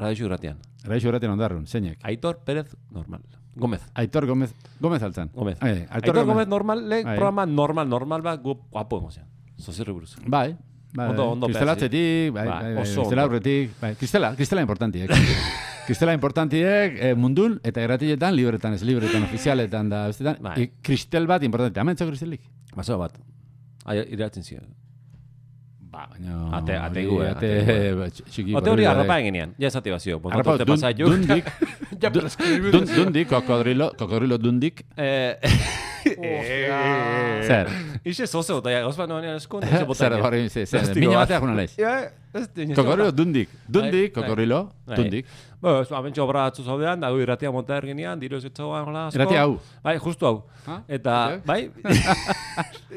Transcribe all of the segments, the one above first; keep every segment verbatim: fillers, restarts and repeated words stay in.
Radio Irratian. Radio Irratian Ondarrun, zeinek. Aitor Pérez normal. Gomez. Aitor Gomez, Gomez altzan. Gomez. Ai, Aitor, Aitor Gomez normal, le, Ai. programa normal, normal bat, gu, guapo emozien. Zozirri buruz. Bai. Bai, Ondo, ondo Kristelatzetik, bai, Bai, bai, bai, oso Kristela ondo. aurretik, bai, Kristela, Kristela importantiek. Kristela importantiek eh, mundun eta gratiletan, libretan, ez libretan, ofizialetan da, bestetan, Bai. i- Kristel bat importante. Hemen txo Kristelik? Baso bat. Ai, iratzen ziren. Ba, baina... Ate- ate hori, gu, eh, ate, ate gu. ba, tx- txiki... Ote hori borril arrapa badek. eginean. Ja esati bazio. Arrapa, Arrapa, dun, pasa jo. dundik, Ja, prescribir. dun, dundik, kokodrilo, kokodrilo dundik, Eh... zer? Ixe zoze bota, ja, gozpa noan eskun, Zer, hori, zer, zer, mina batea juna laiz. Ja, ez dine. Kokodrilo dundik, dundik, Bai, bai. kokodrilo, Bai. dundik. Bo, ez abentxo obra atzu zaudean, dago irratia monta erginean, diru ez etzagoan, hola, asko. Irratia hau. Bai, justu hau. Ha? Eta, Ok. bai,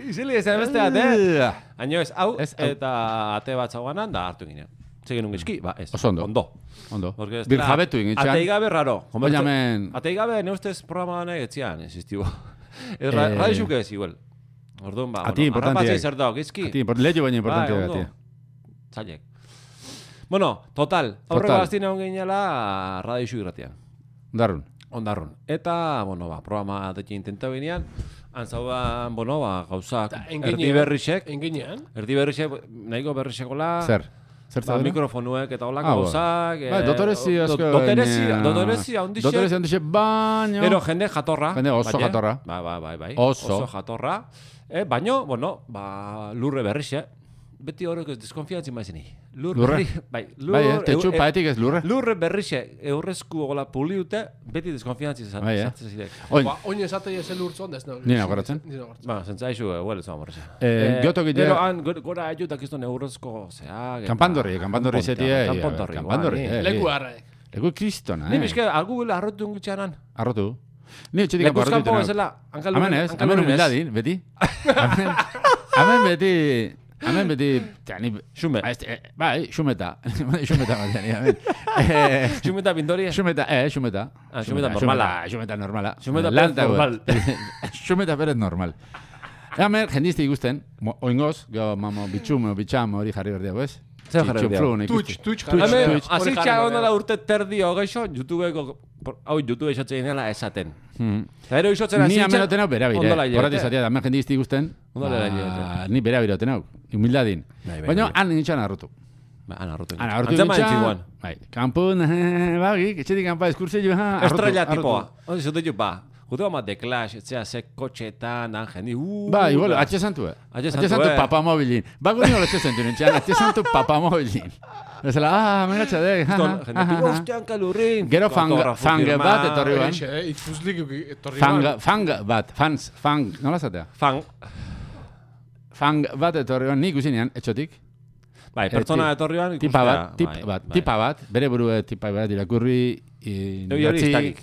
izili ez beste bat, eh? Haino ez, hau, Ez, hau. eta ate bat zauganan, da hartu ginen. Zegin un gizki, ba, ez. Oso ondo. Ondo. Ondo. Porque ez Bir dela- jabetu ingitxan. Atei gabe raro. Baina hemen... Atei gabe, ne ustez programa honek etzian, existibo. Ez ra, Eh, radio xuke ez, igual. Orduan, ba, Ati bueno, importantiak. arrapatzei zer dago, gizki. Ati, import- lehiu baina importante Bai, ati. ondo. Zailek. Bueno, total. Aurreko Total. gaztine hon ginela radio xu irratian. Darrun. Ondarrun. Eta, bueno, ba, programa deki intenta ginean, antzauan, bueno, ba, gauzak, erdi berrixek, Enginean. erdi berrixek, nahiko berrixekola, Zer? Zer ba, zaudera? mikrofonuek eta holako Ah, gauzak. Bai, dotorezi asko... Dotorezi, baina- dotorezi, ondixek. Dotorezi ondixe, baino... Pero jende jatorra. Jende oso baina. jatorra. Bai, bai, bai, bai. Oso. jatorra. Eh, baino, bueno, ba, lurre berrixe. Beti horrek ez deskonfiantzi maizeni. Lur Lurre? berri, bai, lur, Bai, eh, tetxu eu- paetik ez lurre. Lurre berrixe, eurrezku gola puliute, beti deskonfiantzi Bai, eh. zatzen zirek. Oin, Ba, oin esatei ez elurtzon, ez no. Ni nagoratzen. Ni nagoratzen. Ba, zentzaizu, huel ez amorreza. Eh, giotok ite- Gero han, gora- gora ajutak izton eurrezko, zeak. kanpandorri, kanpandorri zetie... Kanpandorri, Kanpandorri, bai. eh. Leku harraek. Leku kristona, Ni eh. bizke, algu gula arrotu ungutxanan. Arrotu. Ni etxetik Lekuz arrotu kanpo ditena. bezala, hankalun. Hemen ez, hemen humildadin, beti. Hemen- Hemen beti... Hemen beti... ta, ni- Xume. Ah, este, eh, bai, xumeta. Xumeta batean, hemen. Eh, Xumeta pintori. Xumeta, eh, xumeta. Ah, xumeta normala. Xumeta normala. Xumeta Lan Pérez dago. normal. Xumeta Pérez normal. Hemen, jendizte ikusten, mo- oingoz, go, mamo, bitxum, bitxam, hori jarri berdiago, ez? Zer jarri berdiago? Txinflun ikusten. Twitch, Twitch, Twitch, jarri Hemen, Twitch. Hori hasi jarri txago behar. nola urte terdi hogeixo, YouTubeko, hau YouTube esatzen dela esaten. Hmm. Eta ero isotzen hasi Ni hemen oten hau bera bire. Ondola Horrati hilabete. zatea, da, hemen jendizte ikusten. Ondola ba, hilabete. Ni bera bire oten hau, humildadin. Bai, bai, Baina, bai. han nintzen arrotu. Ba, ana, arrotu. Han arrotu Antzema nintzen, entxiguan. bai, kanpun, bagi, etxetik kanpa eskurtzei jo, ha, arrotu, Estrella arrotu. tipoa. Hori zute jo, ba. Gute bat The Clash, etzea ze kotxetan, han jendi, uh, Ba, igual, da. atxe santu, eh? Atxe Atxe santu, santu eh. papamobilin. Ba, guri nola atxe santu nintzen, atxe santu papamobilin. Bezala, ah, megatxa dek, ha, Ton, ha, jende, ha, ha. ostean kalurrin. Gero fanga, Fotografo fanga firma. bat etorri ban. Eixe, eh, ikuzlik etorri Fanga, ban. fanga bat, fans, fang, nola zatea? Fang. Fang bat etorri ban, nik usinean, etxotik. Bai, Eh, pertsona ti- etorri ban Tipa ikustea. bat, tip Bai, bat, bai. tipa bat, bere burue tipa bat irakurri, i- Hori hori ez idatzi, dakik.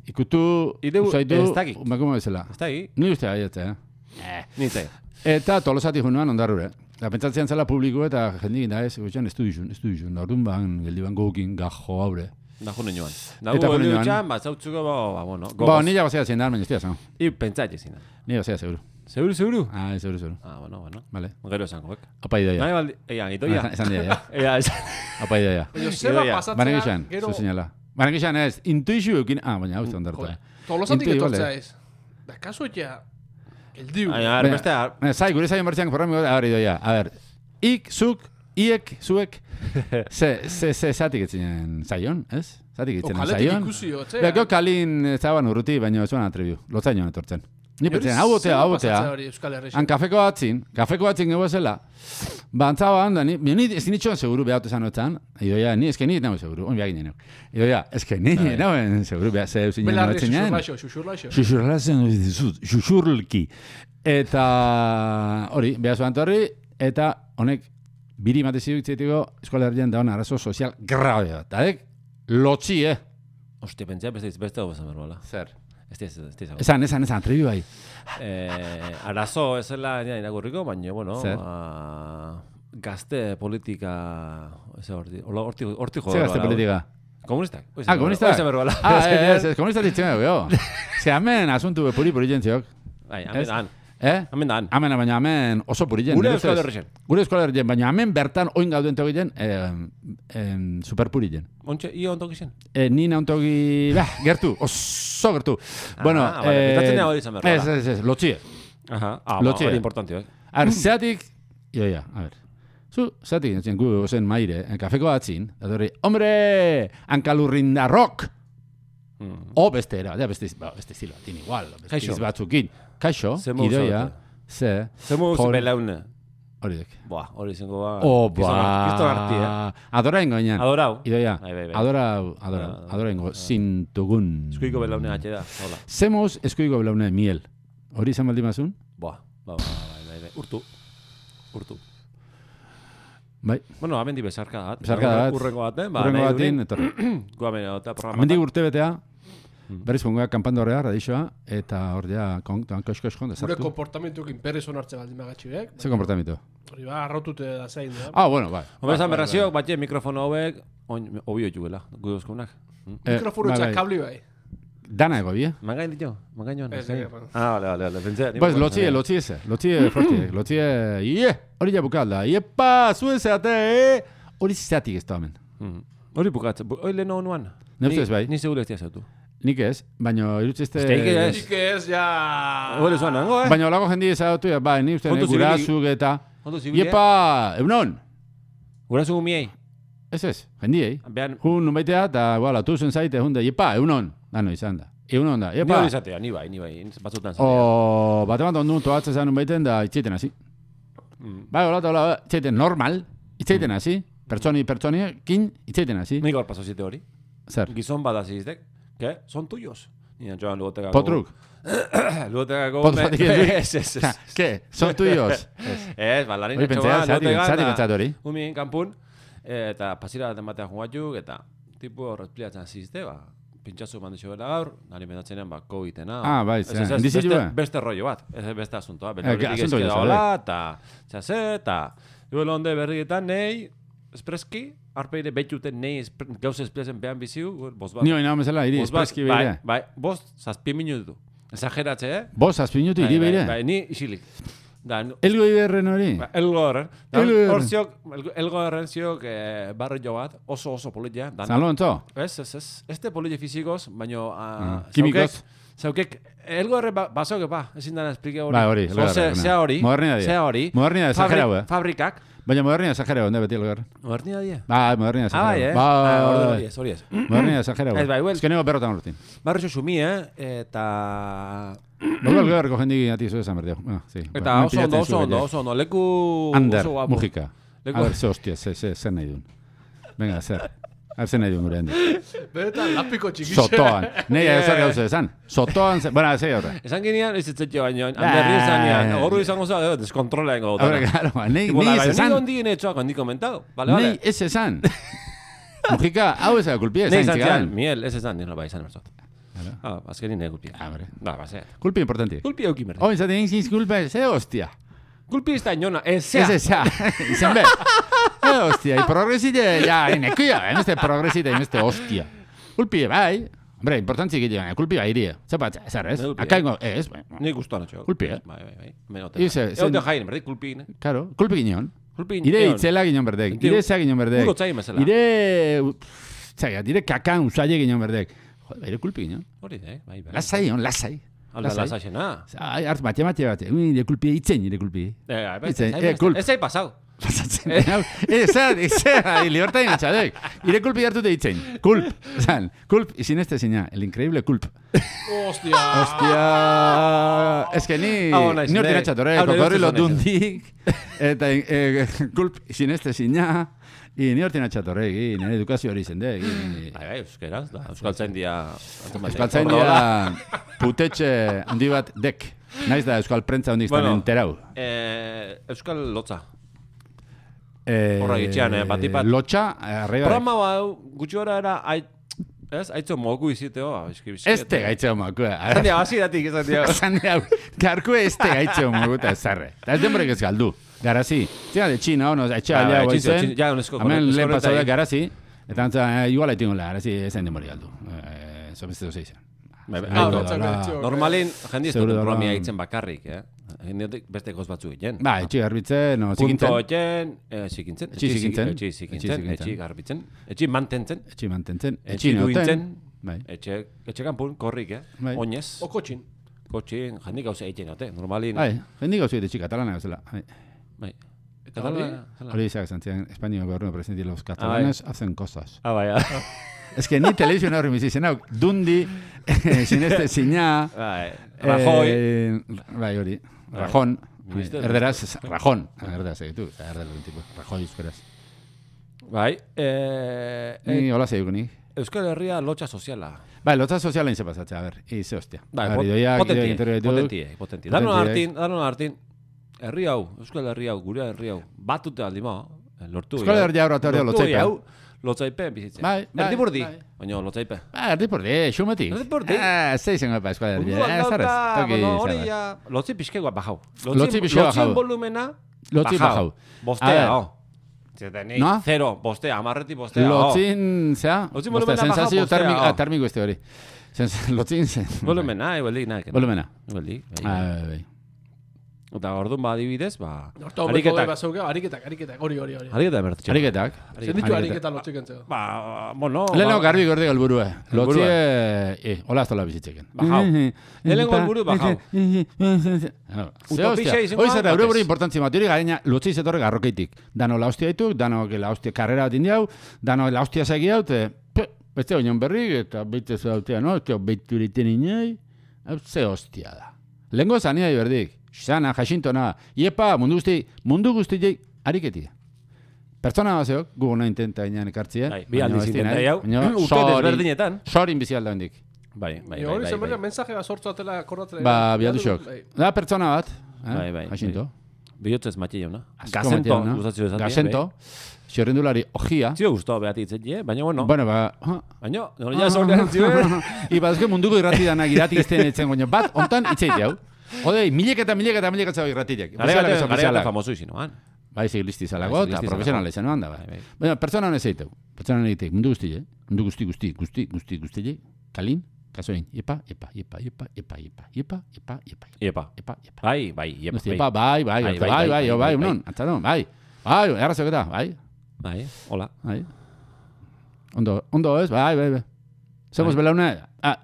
ikutu, Ideu- usaitu, ez dakik. makumo bezala. Ez da hi? Ni uste baietze, eh? Nintzen. Eta tolosati junuan ondarrure. Eta pentsatzean zela publiko eta jendikin da ez, gutxan, ez du dizun, ez du dizun. Orduan ban, geldi ban gokin, gajo haure. Da june joan. Da Eta gu june heldu joan. txan, bat zautzuko, ba, ba, bueno. Ba, gogoz. nila bazea zein da, baina ez dira zan. I pentsatxe zina. Nila bazea, seguru. Seguru, seguru? Ah, seguru, seguru. Ah, bueno, bueno. Vale. Gero esango, ek. Apa idoia. Nahi baldi, ea, itoia. Ah, Esan dira, ja. Ea, esan. Apa idoia. Baina zeba Idoia. pasatzea, Baina gizan, gero... zu sinala. Baina gizan ez, intuizio eukin, ah, baina hau zondartu. Joder, Tolosatik Intu, etortzea igual, ez. Da, kaso ja... Eldiu. Baina, Baina- beste, Baina, zai, gure zaion bertzean programiko, a ber, idoia. A ber, ik, zuk, iek, zuek, ze, ze, ze, zatik etzinen zaion, ez? Zatik etzinen Okaletik zaion. ikusi, otzea. Bea, gero kalin ez zaban urruti, baina ez zuan atrebiu. Lotzainoan etortzen. Ni pentsen, hau botea, hau botea. Euskal Herrixen. Han kafeko batzin, kafeko batzin gego zela, ba, antzaba handa, ni, ni ez nitxoan seguru behatu esan otzan, idoia, ni eske ni nago seguru, on behar ginen. Idoia, eske ni nagoen seguru behar ze eusin jano Belarri, etzen jaen. xuxurlaixo, xuxurlaixo. Xuxurlazen dizut, xuxurlki. Eta hori, behar zuen torri, eta honek biri matezi duktzitiko eskola herrian da hona arazo sozial grabe bat. Eta dek, lotzi, eh? Hostia, pentsa, beste, beste hau bezan berbala. Zer? Ez ez, ez ez. Esan, esan, esan, trebi bai. Eh, arazo ez zela ja, irakurriko, baina, bueno, Zer? ba, gazte politika, ez horti, hola, horti, horti joder. Zer gazte politika? Komunistak. Ah, komunistak? Oize berbala. Ah, ez, ez, komunistak ditzen dugu, jo. Ze hemen asuntu puri puri jentziok. Bai, hemen, Ez? han. Eh? Hemen dan. Hemen, baina hemen oso purien. Gure nire Euskal ustez. Herrien. Gure Euskal Herrien, baina hemen bertan oin gauden togien, eh, eh, superpurien. Ontxe, io ontok izan. Eh, ni nauntogi, bah, gertu, oso gertu. bueno, Ah, vale, pentsatzen nago hori izan behar, ez, bala. ez, ez, lotxie. Aha, ah, ba, Lotxea. hori importante, eh? A ver, zeatik, jo, ja, a ver. Zu, zeatik, zen, gu, ozen maire, en kafeko atzin, datorri, hombre, hankalurrindarrok! Mm. O beste era, ja, beste, ba, beste estilo, tin igual, beste Kaixo. iz batzukin. Kaixo, Ze modu idoia, zaudete? ze, Zemu Hor- belaune. hori dek. Buah, hori izango ba... O, Kriston arti, eh? ba, adora ingo inan. Adorau. Idoia, Bai, bai, bai. adora, adora, Ah, adora ingo, zintugun. Eskuiko belaune atxe da, hola. Zemoz eskuiko belaune miel. Hori izan baldin mazun? Buah, ba, ba, bai, bai, bai. Urtu. Urtu. Bai, Bueno, amendi bezarka bat. Bezarkada bat. Urrengo baten, ba, urrengo nahi batin, durin. etorri. Gu amen eta programa. Hemendik urte betea, Mm. berriz pongoa kanpandorrea, radixoa, eta hor ja, kontuan kosko-esko, Gure desartu. komportamentukin perez onartze baldin magatxiek. Ze komportamiento? Hori ba, arrautute da zein, da. Ah, bueno, bai. Hombre, esan berrazio, batxe mikrofono hauek, oin, obio juela, gu euskonak. Mikrofono bai, txak bai. kabli bai. Dana ego, bie? Mangain ditu, mangain joan. Ez, ez, ez. Ah, vale, vale, vale, pentsa. Pues lotxie, lotxie eze, lotxie forti, lotxie, ie, hori ja bukalda, iepa, zuen zeate, eh? Hori zeatik ez da hemen. Mm. Hori bukatzen, hori lehen hau nuan. Ne ustez bai. Ni segure ez diazautu. Nik ez, baina irutzezte... Ez que nik ez. Nik ez, ja... Hori zuan nango, eh? Baina olago jendi ezautu, ja, bai, ni uste Kontu zibili- gurazuk eta... Ondo zibile. Iepa, eunon! Gurazu gumiei. Ez ez, jendiei. Behan, Hun nubaitea, eta, wala, tuzen zaite, hunde, iepa, eunon! Dano izan da. Eunon da, ni iepa! hori izatea, ni bai, ni bai, batzutan zatea. O, bate bat ondu toatzen zan nunbaiten da itxeiten hasi. Mm. Bai, hola, hola, itxeiten normal, itxeiten hasi. Pertsoni, pertsoni, kin, itxeiten hasi. Nik hor paso zite hori. Zer? Gizon badaziztek, que son tuyos. Nina joan lugotekako... Potruk. Lugotekako... Potzatik ez. Ez, ez, ez. Ke, son tuyos. Ez, balarin Hori pentsea, zati, zati pentsat hori. Umien kanpun, eta pasira baten batean jugatuk, eta tipo hor espliatzen zizte, ba, pintxazu mandixo bela gaur, nari mentatzenean, ba, COVID-ena. Ah, bai, Ez, ze, ez, ez, indizitu beste, ba? beste rollo bat, ez beste asuntoa. Eh, Bela que horitik asunto ezkeda jo, hola, eta txase, eta duela onde berrietan nei, espreski, arpeire betxuten nei espre- gauz espliatzen behan biziu, boz bat. Ni hori nago mesela, iri, Bost bat, espreski bai, beire. bai, bost, zazpi minutu. Exageratze, eh? Bos, azpinutu iri Bai, beire. Bai, bai, ni isilik. Da, nu- Elgo iberren hori. Ba, Elgo horren. Da, Elgo horren. Hor ziok, elgo- elgo horren ziok eh, barri jo bat, oso oso politia. Dan, San Lorenzo. ez, ez, ez. Ez te politia fizikoz, baino... Ah, Uh, kimikoz. Zaukek, elgo horren ba, basoke ba, ezin dana esplike hori. Bai, hori, So, elgo ze- horren, Zea hori. Modernidadia. Zea hori. Modernidadia, Fabri- exagerau, eh. Fabrikak. Baina modernia exagerau, onde beti elgo erren. Modernidadia. Bai, modernia Ah, bai, eh? exagerau. Ah, ordu Bai, hori ez, hori ez. modernia exagerau. Ez, bai, well. Ez que nego berrotan urtin. Barri xumi, eh? Eta... Luego el guerreko jendi ati zu esan berdeo. Ah, sí. Eta oso ondo, oso ondo, oso ondo. Leku... Ander, oso guapo. Mujika. Leku- A ver, ze hostia, ze, ze, zer nahi duen. Venga, zer. A ver, zer nahi duen gure handi. Benetan, lapiko txikixe. Sotoan. Nei, zer gauze esan. Sotoan, ze, bueno, ze horre. Esan ginean, ez etzetxo baino, handerri esan ginean, horru izango za, eh, deskontrola ingo A ver, claro, nei, nei ez Ni esan. ondi gine etxoak handi komentado, bale, Nei bale. ez esan. Mujika, hau ez da kulpia Nei esan izan zian, txigaran. miel, ez esan, nire bai izan emerzot. Claro. Ah, azkenin ne gulpia. Ah, hombre. Ba, ba, ze. Kulpi importanti. Gulpia euki merde. Oin zaten egin kulpa, ze hostia. Gulpia ez da inona, ez Ez zea. ez, ja. Izan be. Eh, hostia, y progresite, ja, enekuia, emeste progresite, emeste hostia. Kulpi, bai. Hombre, importantzi egiten, kulpi bai irie. Zapat, zer ez? Ne kulpi, Akaingo, ez, Ni guztuan atxo. Gulpi, eh? Bai, bai, bai. Menote. I ze- zen- Eote jain, berdi, gulpi, ne? claro, kulpi gineon. Gulpi, Ire itzela gineon berdek, ire za gineon berdek. Uro txai mesela. Ire, zaila, dire kakan usaile gineon berdek. Joder, ire kulpi gineon. Hori, eh? Bai, bai. Lasai, on, lasai. Alda lasaxena. Ai, hartz mate mate bate, ire kulpi itzen, ire kulpi. Eh, bai, Itzen, ez eh, zai- kulp. ez zai pasau. Pasatzen. Ez, ez, ez, libertad engatxadek. Ire kulpi hartu itzen. Kulp, zan, kulp, izin este zina, el increíble kulp. Hostia. Hostia, es que ni, Ah, ona, ni hortin izan, atxatore, hau, kokorrilo nire ustez dundik, eta eh, kulp, izin este zina, i ni hortin atxatore, i nire edukazio hori zende, i... Bai, bai, euskeraz, da. Euskaltzain dia... Euskaltzain dira putetxe handi bat dek. Naiz da Euskal Prentza hondik Bueno. bueno, enterau. Eh, Euskal lotza. Eh, Horra gitxean, eh, bat ipat. Lotxa, eh, arriba. Programa hau, gutxi gora era, ait, ez, aitzo mogu iziteo, eski bizkiet. Este gaitxe homakua. Zan dia, hasi datik, esan dia. Esan diau, garku este gaitxe homakuta ezarre. Eta ez denborek ez galdu. Garazi. Zena de Txina, ono, etxe Ah, aldea bai, guai txinzo, zen. txinzo, ja, unesko, Hemen unesko lehen pasau da horretai. garazi. Eta antza, eh, igual haitingo la, garazi ezen denbori galdu. Eh, Eso beste doze izan. Bai, bai, Ah, aiko, batzak betxo. Normalin, jendi ez Seguro duten dela- programia egiten bakarrik, eh? Hendetik beste goz batzu egiten. Ba, etxi garbitzen, no, zikintzen. Punto egiten, zikintzen. Etxi zikintzen. Etxi zikintzen, etxi garbitzen. Etxi mantentzen. Etxi mantentzen. Etxi duintzen. Bai. Etxe, etxe kanpun, korrik, eh? Bai. Oinez. O kotxin. Kotxin, jendik gauza egiten dute, normalin. Bai, jendik gauza etxi katalana gauzela. Bai. Bai. Eta hori? Hori izak zantzien, Espainio gobierno presidente, los catalanes hacen cosas. Ah, bai, ah. Es que ni televisión horri bizi zen hau, dundi, sineste zina, Bai, Rajoy. eh, bai hori, Rajon, erderaz, Rajon, erderaz egitu, erderaz tipo, Rajoy euskaraz. Bai, eh, Ni hola zeiko nik. Euskal Herria lotxa soziala. Bai, lotza sozialain ze pasatzea, a ver, ize hostia. Bai, A ver, idoiak, potentie, idoiak interview ditu. potentie, potentie. Danon hartin, danon hartin, herri hau, Euskal Herri hau, gure herri hau, batute aldi ma, lortu. Euskal Herria hau, teoria lotzaipe. hau, lotzaipe bizitzen. Bai, bai, Erdi burdi, bai. baina lotzaipe. Ba, erdi pordi, xumetik. Erdi pordi. Ah, zei zengo pa Euskal Herria. Orduan Eh, zarez, dauka, toki bueno, hori zarez. ja, lotzi pixkegoa bajau. Lotzi pixkegoa bajau. Lotzien volumena, Lotzi bajau. A Bostea, ver. oh. Zetanik, No? zero, bostea, amarretik bostea, oh. Lotzin, zea? Lotzin Bostea, volumena baja, sensazio bostea, termiko, oh. ah, termiko este hori. Sens- Lotzin zen. Volumena, ebeldik, nahi. Volumena. Ebeldik, bai. Ah, bai, bai. Eta orduan ba adibidez, ba... Horta homeko bai bazauke, ariketak, ariketak, hori, hori, hori. Ariketa emertxe. Ariketak. Zen ditu ariketa lotzik entzeko. Ba, bueno... Lehenko ba- garbi gordi galburue. Lotzi, Helburua. eh, hola aztola bizitzeken. Bajau. Lehenengo helburu bajau. Utopia izango Hoi zer, da, eure batez. buru importantzi bat, hori gareina, lotzi zetorre garrokeitik. Dano la hostia dituk, dano la hostia karrera bat indiau, dano la hostia segi hau, te, pe, beste oinon berrik, eta beite zu dautea, no? Eta beitu eriten inai, hau ze hostia da. Lehenko zania berdik, xana, jasintona, iepa, mundu guzti, mundu guzti ariketi. Pertsona bazeok, gu nahi intenta inan ekartzia. Bai, bi aldiz intenta jau. Urte desberdinetan. Sorin bizi alda hendik. Bai, bai, E bai, hori bai, zen bai. baina mensajea sortzu atela akordatzela. Ba, bialdu xok. Bai. Da pertsona bat, Bai, bai, eh? Jasinto. Bihotzez matxe jauna. Asko Gazento, Mateo, no? gustatzen esatia. Gazento, xerrendulari ojia. Zio guztua behati itzetje, baina bueno. Bueno, ba... ha. Baina, nore ja zorrean zioen. Iba, ezke munduko irrati danak irrati izten etzen goño. Bat, ontan itzeit jau. Odei, milek eta milek eta milek eta irratiek. Gare gate famoso izinoan. Bai, zigilisti zalago, Bai, eta zigilisti profesionala zalago. izan oan da, bai. Bai, bai. Baina, pertsona hones eiteu. Pertsona hones eiteu. Mundu guzti, eh? Mundu guzti, guzti, guzti, guzti, guzti, kalin, kasoin. Epa, epa, epa, epa, epa, epa, epa, epa, epa, Iepa. epa, epa. Bai, bai, iepa. Guzti, epa, bai, bai, Bai, bai, bai, bai, bai, bai, bai, bai, unon, atzadon, bai. Bai, errazok eta, bai, Bai, hola. bai. Ondo, ondo ez, bai, bai, bai. Somos belaune, ah,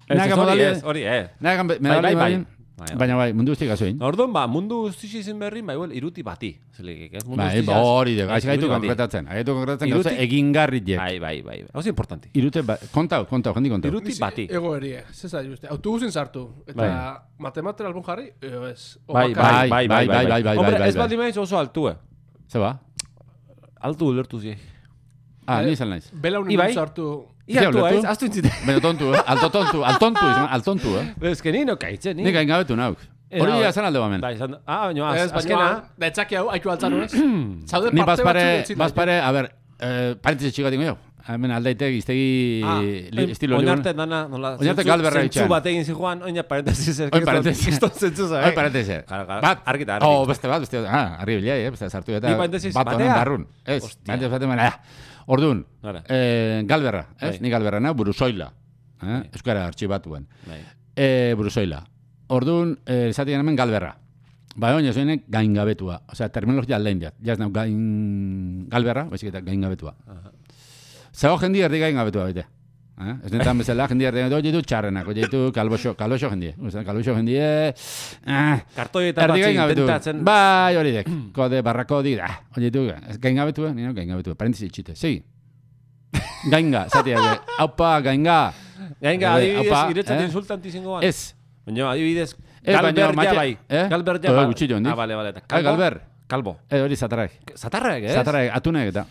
Ez, naga ez, hori modali, ez, hori ez. naga Bai, medali, bai, bai. bai, Bai, baina bai, mundu guzti gazoin. Orduan, ba, mundu guztixi izin berri, bai, well, iruti bati. Zelegik, ez? Mundu Bai, guztixaz- hori de, Bai, gaiz gaitu iruti bati. konkretatzen, gaitu konkretatzen Iruti- gauza egingarriek. Bai, bai, bai. Hau importante. Irute, ba, kontau, kontau, jendi kontau. Iruti bati. Ego erie, zeza juste. Autobusin sartu. Eta Bai. matematera albun jarri, eo ez. O Bai, bakarrik. bai, bai, bai, bai, bai, bai, Hombre, bai, ez bai. baldin maiz oso altue. Ze ba? Altu ulertu zi. Ah, Eh, ni izan naiz. Bela unen Ibai? sartu. Ia Zer altua ulertu? ez, aztu intzite. Baina tontu, eh? Alto tontu, altontu, izan, altontu, eh? Ez que ni no kaitzen, ni. Nik hain gabetu nauk. Era, Hori bai. izan alde bamen. Bai, izan, ah, baina, az, Ez, azkena. baina, da etzaki hau, haitu altzanu ez. Zaude Ni parte bazpare, batzuk entzita. bazpare, a ber, eh, parentesi txigatik jo. Hemen aldaitek iztegi Ah, li- estilo oin liburu. arte dana, nola, Oinarte zentzu- galberra zentzu itxan. bat egin zijoan, oina parentesis. ez, Oin kriston- parentesis. kriston zentzu za, Hoi eh? parentesi. Claro, claro. Bat, Argi eta argi. Oh, beste bat, beste bat. Ah, argi bilai, eh? Beste sartu eta Ni parentesis bat honen batea? barrun. Ez, Hostia. parentesis batean baina. Orduan, Nora. eh, galberra, ez? Bai. Ni galberra na, buruzoila. Eh? Euskara artxibatuen. Bai. Eh, buruzoila. Orduan, eh, esatien hemen galberra. Bai, oin, zoinek gaingabetua. Osea, terminologia aldein diat. Jaz nau gain galberra, baizik eta gaingabetua. Zago jendi erdi gaingabetua baite. Eh? Ez netan bezala, jendi erdi gaingabetua, oie du txarrenak, oie du kalboxo, kalboxo jendie. Oza, kalboxo jendie, eh, Kartoi eta erdi batzi gaingabetu. intentatzen. Bai, hori dek. Kode, barrako di, ah, oie du, ez gaingabetua, nino gaingabetua. Parentesi txite, segi. Gainga, zatia, haupa, gainga. Gainga, Eh, adibidez, opa, iretzat eh? insultanti zingoan. Ez. Baina, adibidez, Ez, baina, Galber ja mate- bai. eh? Galber ja Todo bai. gutxillo handik. Ah, bale, bale. eta Ah, Kalbo? galber. Kalbo. Eh, hori zatarrak. Zatarrek, ez? Zatarrak, atunek eta.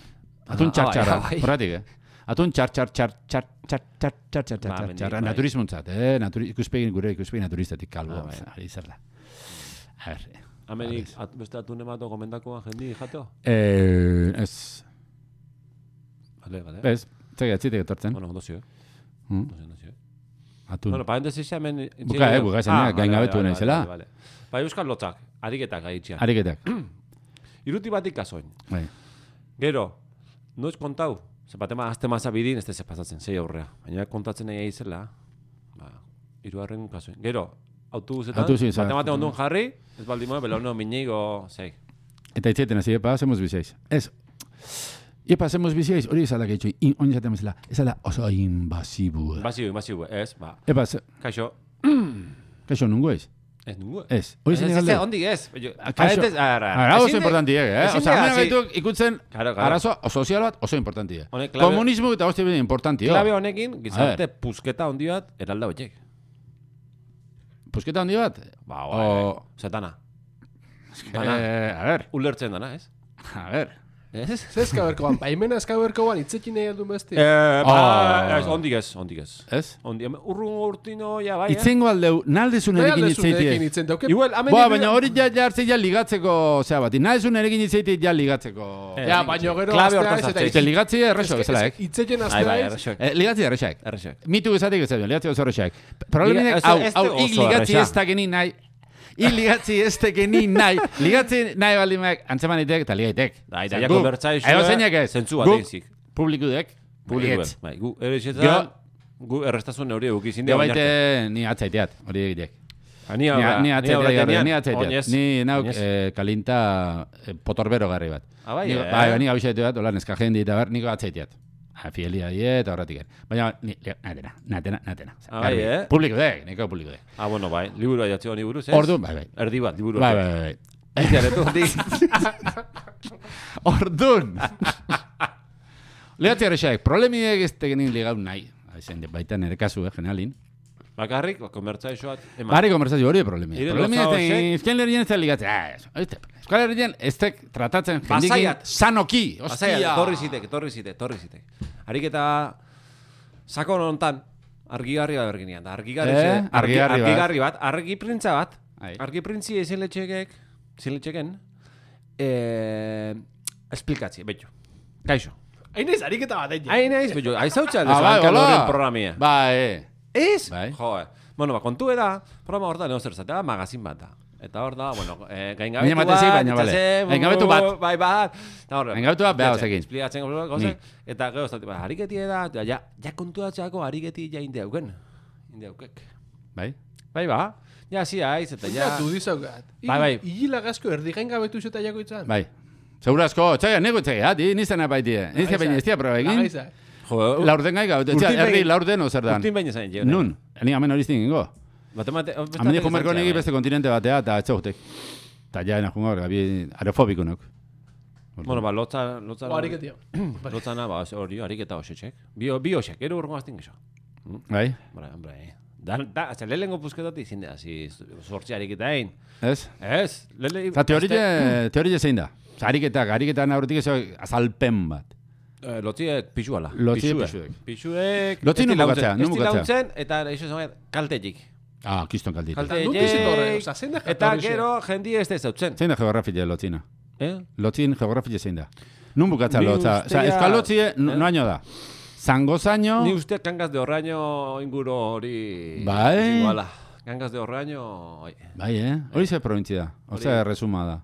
Atun Ah, txar-txarra, bai, bai. horretik, eh? Atun txar, txar, txar, txar, txar, txar, txar, txar, Ba, txar, mendik, txar, bai. naturismontzat, eh? Naturi, ikuspegi, gure ikuspegi naturistatik kalbo, Ah, bai. ari zer da. A ver, eh. Amenik, at, beste atune mato gomendakoa jendi jateo? Eh, ez, Bale, bale. ez, txegia, txitek etortzen. Bueno, ondo zio. Hmm? Ondo zio, ondo zio. Atun. Bueno, parentesis hemen... Buka, eh, buka esan, eh, gaingabetu naizela. Bai, euskal lotzak, ariketak gaitxian. Ariketak, Iruti batik kasoin. bai. Gero, noiz kontau, ze batema azte maza bidin, ez da pasatzen, zei aurrea. Baina kontatzen nahi izela, ba, iruarren kasoin. Gero, autobusetan, Autobusetan. bate-bate ondun jarri, ez baldin moe, belauno minigo, zei. Eta itzieten hasi, epa, hacemos bizeiz. Ez, epa, hacemos bizeiz, hori ezala gaitxo, oin zaten bezala, ezala oso invasibu. Invasibu, invasibu, ez, ba. Epa, ze, Kaixo, kaixo, nungo ez? ez nungu. Ez, hori zen Ez, galde. ez, ondik ez. Kaixo, Ara, ara oso importanti, eh? ezin Osa, da, hemen hasi- gaituk ikutzen Claro, claro. arazo sozial bat oso importanti. Honek klabe- Komunismo eta hostia bide importanti, Klabe jo. honekin, gizarte pusketa handi bat, eralda horiek. Pusketa handi bat? Ba, O- ba, zetana. Dana. Eh, a ver, Ulertzen dana, ez? a ver. Ez? Ze eskaberkoan, baimena eskaberkoan itzekin nahi aldun besti. Eh, ba, Oh. ez, ondik ez, ondik ez. Ez? Ondi, urrun urtino, ja, bai, eh? Itzengo aldeu, naldezun Nahi erekin aldezu nerekin itzeitie. itzen, dauke... Igual, amen Boa, baina hori ja jartze ja ligatzeko, zea bat, naldezun erekin itzeitie ja ligatzeko. Eh, Ja, baina gero Klabe astea hortan ez eta sartzea. Eta ligatzi erreso bezala, ek? Itzekin Ai, astea bai, ez. errexok. Eh, ligatzi erresak. Errexok. Mitu esatik ez da, ligatzi oso erresak. Probleminek, Liga- hau, ez- ez hau, da ik oso ligatzi erresa. ez da geni nahi. Ik ligatzi ez da geni nahi. Ligatzi nahi baldimak antzemanitek eta ligaitek. Da, Zer, ja, guk, konbertsaizioa, edo zeinak ez. zentzu Guk, batek zik. publikudek, Publikoen. baietz. Bai, gu errexetan, Gero- gu errestasun hori egukizin Gero dira. baite ni atzaiteat, hori egitek. Ni Ni, aurra, ni atzaiteat, garri, ni Oinez. atzaiteat. Ni nauk eh, kalinta eh, potorbero garri bat. Ah, bai, Ni- eh? Bai, ni abixetu bat, hola, neska jendi eta ber, niko atzaiteat. Ah, Fielia die eta horretik. Baina, ni, natena, natena, natena. Ah, bai, eh? Publiko dek, niko publiko dek. Ah, bueno, bai, liburu jatzi honi buruz, ez? Orduan, bai, bai. Erdi bat, liburu. Bai, bai, bai. Itiaretu, di. Orduan. Lehatzi errexaek, problemiek ez tegenin ligau nahi. Ezen, baita nire kasu, eh, generalin. Bakarrik, konbertsaizioat, eman. Bari konversazio hori problemia. Ire Problemia gauza ez horiek- Euskal Herrian ez da ligatzen. Ah, ez, ez, Euskal Herrian ez tek tratatzen jendikin Pasaiat. sanoki. Pasaiat, Ostia. torri zitek, torri zitek, torri zitek. Ariketa sakon hontan, argigarri bat berginean. Da, argigarri, Eh, ze- argi, argigarri bat. argigarri bat, argi printza bat. Ai. Argi printzi ezin letxekek, ezin letxeken, eh, esplikatzi, betxo. Kaixo. Hain ez, ariketa bat egin. Hain naiz, betxo, aizautza Ah, bai, aldezu, hola. horren programia. Bai, Ez? Bai. Jo, eh. Bueno, ba, kontu da, programa hor da, neho zer zatea, magazin bat da. Eta hor da, bueno, eh, gaingabetu Baina bat, batezi, baina, bale. itxasen, Gaingabetu bat. Bai, bat. Eta hor, Gaingabetu bat, beha, explicatzen, osekin. explicatzen, Ni. gozek, eta gero, ez da, ariketi da, eta ja, ja kontuatzeako ariketi ja indeuken. Indeukek. bai. Bai, ba, ja, zi haiz, eta Ja, ja... du dizaugat. Bai, bai. Igila gazko erdi gain gabetu zeta jako itzan. Bai. Segurazko, txaga, nego txaga, di, nizena baitie. Nizena baina ez tia proba egin. Lagaizak. Jo, Laurden gai gau, Urtin txaga, behin- herri laurden ozer dan. urtin baina zain, jo. Nun, ni amen hori zingingo. Matemate... Amen diko merko negi beste kontinente batea, eta ez zautek. Eta ja, ena jungo, gabi, aerofobiko nok. Bueno, ba, lotza... lotza O ariketia. Lotzana, ba, hori, ariketa hoxetxek. Bi, bi hoxek, ero urgo gaztin gexo. Bai, Hombre, hombre. Da, da, hasta lehenengo pusketatik zinde, hasi sortzi ariketa egin. ez? Ez, lele... Eta teorie, teorie zein da. Osa, ariketak, ariketan aurretik ez azalpen bat. Eh, lotziek pixuala. Lotziek Pixuek. pixuek. Pixuek... Lotzi ez di nun launtzen, bukatzea, nun ez di bukatzea. launtzen, eta eixo zama kaltetik. Ah, kiston kaldit. Kaltetik. Nuk izin horre, oza, zein da Eta jatorrixe? gero jendi ez da zautzen. Zein da geografia lotzina? Eh? Lotzin geografia zein da? Nun bukatza Ni lotza? Osa, ustea- euskal lotzie, no, Eh? noaino da. Zango zaino... Ni uste Cangas de Orraño inguru hori... Bai. izango ala. Cangas de Orraño... oi. Bai, eh? Hori ze provintzia da. Hori- Oza, resuma da.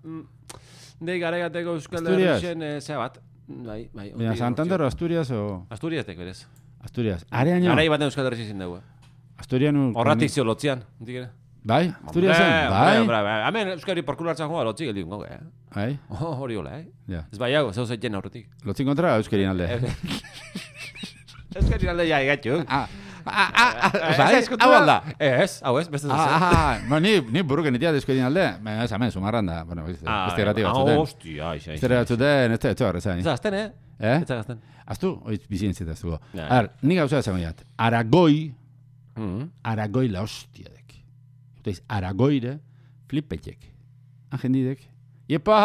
Dei garaigateko Euskal Asturias? Herrixen, eh, zea bat. Bai, bai. Baina, hori- Santander o Asturias o... Asturias tek berez. Asturias. Areaino? Garai baten Euskal Herrixen zin dugu. Asturianu... Horratik zio lotzian, hondik ere. Bai, Asturiasen? Hombre, Bai? hombre, hombre. Hemen Euskari porkulo hartzen joa lotzik geldi gongo, eh? Bai? Oh, hori hola, eh? Ja. Ez bai hau, zeu zeiten aurretik. Lotzin kontra euskerien alde. Euskari alde ja egatxu. Ah, ah, ah, ah, bai? Hau alda? Ez, hau ez, beste Ah, zuzen. ah, ba, ni, ni buruken itia euskerien alde. Baina, ez, hemen, sumarran da. Bueno, beste beste grati ah, batzuten. hostia, aixa, Beste grati batzuten, ez da, ez da horrezain. Ez da, azten, eh? Eh? Ez da, azten. Aztu, oiz bizien zita aztuko. Ja. Ar, ni gauza esan goiat. Aragoi, Mm. Aragoi la hostia dek. Utaiz, Aragoire, flipetxek. Agendidek. Iepa!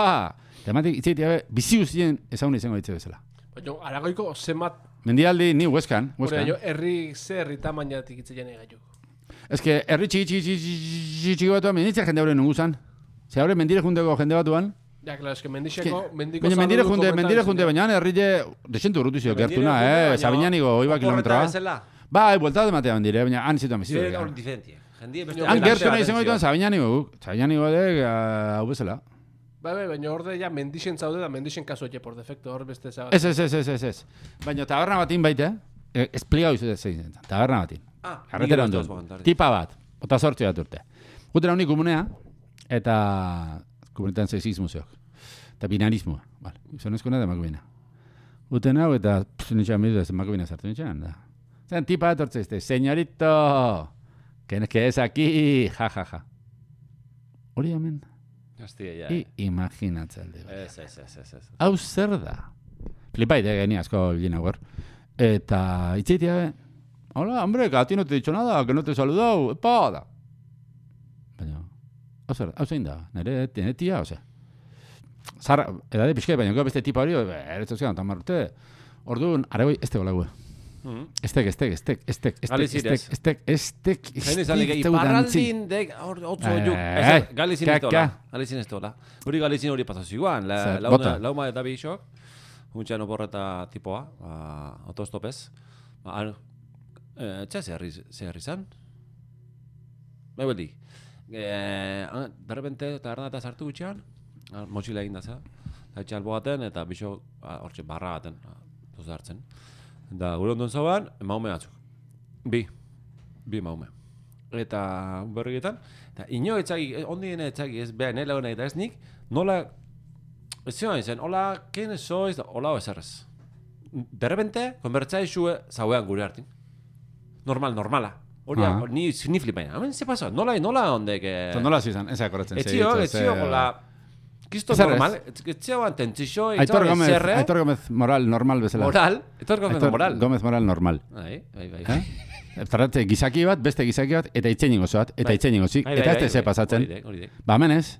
Tematik, itzaitea, bizi guztien ezagun izango ditze bezala. Baina, aragoiko zenbat, Mendialdi, ni hueskan, hori, hueskan. baina, herri ze herri tamainatik itzeien egaitu. Ez que, herri txiki txiki txiki txiki txiki batuan, menditzea jende horren nunguzan. Ze haure mendire jundeko jende batuan. Ja, klaro, eske mendixeko, mendiko Baina mendire saludu junde, komentar mendire ezin junde, da. baina herrile desentu urrutu zio, Mendire gertuna, junde, eh? baina Sabinanigo, oiba oporreta kilometroa. bezala. Bai, buelta de matea mendire, baina han zituan bizi. Zer hori diferentia. Jendie beste Han beste gertu nahi izango atentzioa. dituen Sabinanigo guk. Sabinanigo dek, hau bezala. Bai, bai, baina hor de ja mendixen zaude da mendixen kasu etje, por defecto, hor beste zabat. Ez, ez, ez, ez, ez, ez. Baina taberna batin baite, eh? Esplikau izu zein zen, taberna batin. Ah, Arretera nik ondo. ez bakantarri. Tipa bat, ota sortzi bat urte. Gutena honi komunea, eta komunetan sexismo zeok. Eta binarismoa, vale. Gizonezkoena da emakumena. Guten hau eta nitxan midu ez emakumena sartu nitxan, da. Zen tipa etortze este, señorito, que, que es aquí, ja, ja, ja. Hori hemen. Hostia, ja. I imaginatzalde. Ez, ez, ez, ez, ez. Hau zer da? Flipaite geni asko bilina gaur. Eta itzeitia, hola, hombre, que a ti no te he dicho nada, que no te he saludado, epa, da. Baina, hau zer, hau zein da, nire, nire tia, ose. Zara, edade pixke, baina gero beste tipa hori, eretzen zean, tamar urte. Orduan, aregoi, este gola gue. Estek, estek, estek, estek, estek, estek, estek, estek, Zain izan lege, iparraldin, dek, otzo juk. Galizin ez dola, galizin ez dola. Hori galizin hori pasazio iguan, lauma eta bixok. Untxean oporreta tipoa, autostopez. Txea ze herri zan? Bai beldi. De repente, eta ernata sartu gutxean, motxila egin da za. Eta albo gaten, eta bixok, hortxe, barra gaten, doz hartzen. Da, gure ondon zauan, maume batzuk. Bi. Bi maume. Eta berrietan, eta ino etzagi, ondien etzagi ez beha nela hona eta ez nik, nola, ez zion izan, hola, ken sois, hola ezerrez. De repente, konbertzai zue zauean gure hartin. Normal, normala. Hori, ah. ni, ni flipaina. Hemen, ze pasa? Nola, nola ondek... Eh... Nola zizan, ez akorretzen. Etzio, etzio, hola... Kisto normal, etzio anten txixo, etxo zerre... Aitor Gómez moral, normal bezala. Moral? Aitor Gómez moral. Gómez moral normal. Bai, bai, bai. Zarratze, gizaki bat, beste gizaki bat, eta itxein ingo zoat, eta itxein ingo zik, eta ez teze pasatzen. Ba, hemen ez.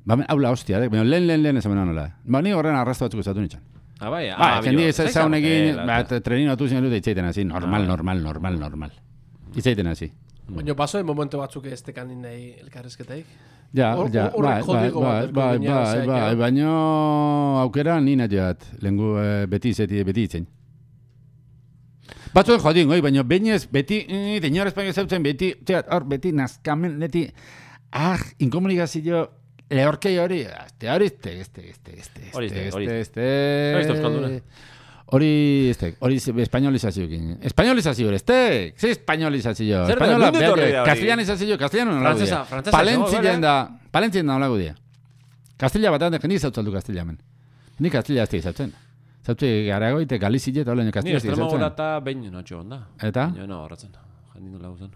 Ba, hemen, haula hostia, dek, baina lehen, lehen, lehen ez hemen nola. Ba, ni horren arrastu batzuk ezatu nintzen. Ah, bai, ah, ba, jendi ez zaun egin, trenin atu zinen dute itxeiten hasi, normal, normal, normal, normal. Itxeiten hasi. Baina, paso en momento batzuk ez tekanin nahi elkarrezketeik? Ja, ja, bai, bai, bai, bai, bai, bai, baina aukera nina joat, lehengu beti izeti, beti itzen. Batzuen jodin, oi, baina bainez, beti, denyor espaino zautzen, beti, hor, beti, nazkamen, beti, ah, inkomunikazio, lehorkei hori, este, hori, este, este, este, este, hori, este, este, este, este, hori, este, hori espainolizazio egin. Espainolizazio, este, ze espainolizazio. Zer da, mundu torri da hori. Castellanizazio, castellano nola Frantzesa, gudia. frantzesa. Palentzien da, palentzien da nola gudia. Castilla bat handa, jendi zautzaldu Castilla hemen. Ni Castilla azte izautzen. Zautze garago, ite Galizie eta holen Castilla azte izautzen. Ni estrema eta behin notxo onda. Eta? Baina no horretzen, jendi nola guzan.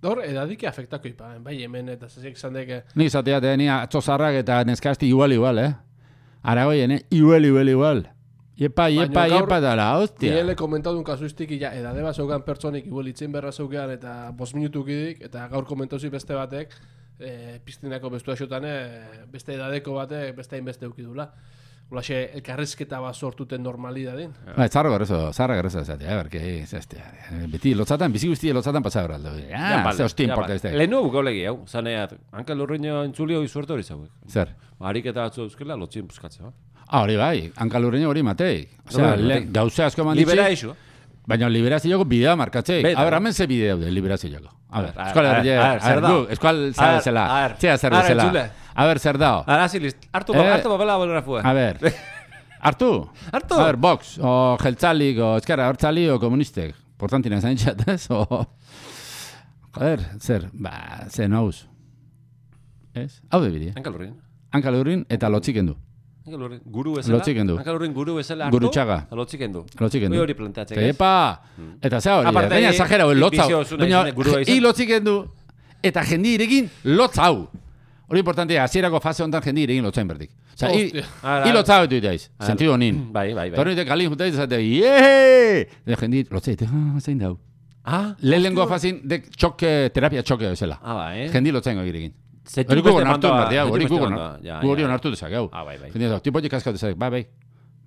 Hor, edadike afektako ipa, bai hemen eta zezek zandeke... Ni zateat, ni atzozarrak eta neskazti igual igual, eh? Aragoien, eh? Igual, igual, igual. Iepa, iepa, iepa dala, hostia. Nire komentatu un kasuistik, ja, edade bat zeugan pertsonik, igual itzen berra zeugan, eta bost minutuk idik, eta gaur komentauzi beste batek, e, piztinako bestu asotan, e, beste edadeko batek, beste hainbeste eukidula. Olaxe, elkarrezketa bat sortuten normalidadin. Ba, zarra garrezo, zarra garrezo ez atea, berke, ez aztea. Beti, lotzatan, bizi guzti lotzatan pasau eraldo. Ah, ze hosti importa ez da. Lehenu bukaulegi, hau, zaneat, hanka lurreño entzulio izuerto hori zauek. Zer? Ariketa batzu euskela, lotzien buskatzea. Ah, hori bai, hanka lurreño hori mateik. Osea, gauze asko manditzi. Libera iso. Baina liberazioko bidea markatzeik. A ber, hemen ze bidea de liberazioko. A ber, eskual herria. Zer da? Eskual zela. Txea zer bezala. A ber, zer dao. Ara, zilist. Hartu papela bolgrafua. A ber. Hartu? Hartu? A ber, Vox, o jeltzalik, o eskerra hortzali, o komunistek. Portantina zain txat, ez? O... Joder, zer, ba, ze nauz. Ez? Hau de bidea. Hankalurrin. Hankalurrin eta lotziken du. Hankalurrin guru bezala. Lotziken du. Hankalurrin guru bezala hartu. Gurutxaga. Lotziken du. Lotziken du. Hori planteatzek, ez? Epa! Eta za hori, baina exagera hori lotzau. Baina, hi lotziken du, eta jendi irekin lotzau. Hori importantea, hasierako fase honetan jendi irekin lotzain berdik. Osa, hi lotzau etu itaiz, sentido honin. Bai, bai, bai. Torri kalin jutaiz, zate, yeee! Eta jendi lotzait, ah, zein dau. Ah? Lehenengo fazin, dek txoke, terapia txoke bezala. Ah, bai. Jendi lotzain gogirekin. Hori gugon hartu berdia, hori gugon hartu dezak, hau. Ah, bai, bai. Jendi dau, tipotik kaskau dezak, bai, bai.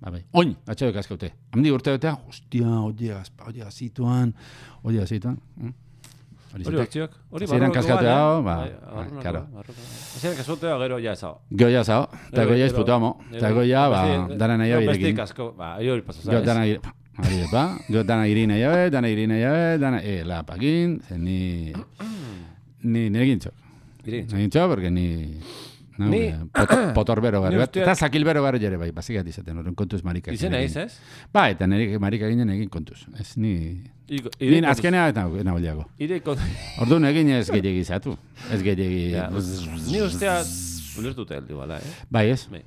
Ba, bai. Oin, atxeo kaskaute. Hamdi urte betea, hostia, hori gazpa, hori gazituan, hori gazituan. Hori batziok. Hori ziren kaskatu hau, ba, karo. Ziren kaskatu gero ja zao. Gero ja zao, eta gero ja izputuamo. Eta gero ja, ba, dana nahi hau irekin. Beste kasko, ba, hori pasazaz. Gero dana irekin. Ari, ba, gero dana irin nahi hau, dana irin nahi hau, dana, e, lapakin, zen ni, ni, nirekin txok. Nirekin txok, porque ni, No, Ni- eh, pot, potorbero Ni garri bat. usteak- Eta zakilbero garri jere bai, bazikat izaten, horren kontuz marika. Izena iz, ez? Ba, eta nire marika ginen egin kontuz. Ez, ni... Iko- Ni ire kontuz- azkenea eta nahuliago. Ire kont- Orduan egin ez gehiagi izatu. Ez gehiagi... Ja, Ni ustea ulertuta heldu bala, eh? Bai, ez? Bai.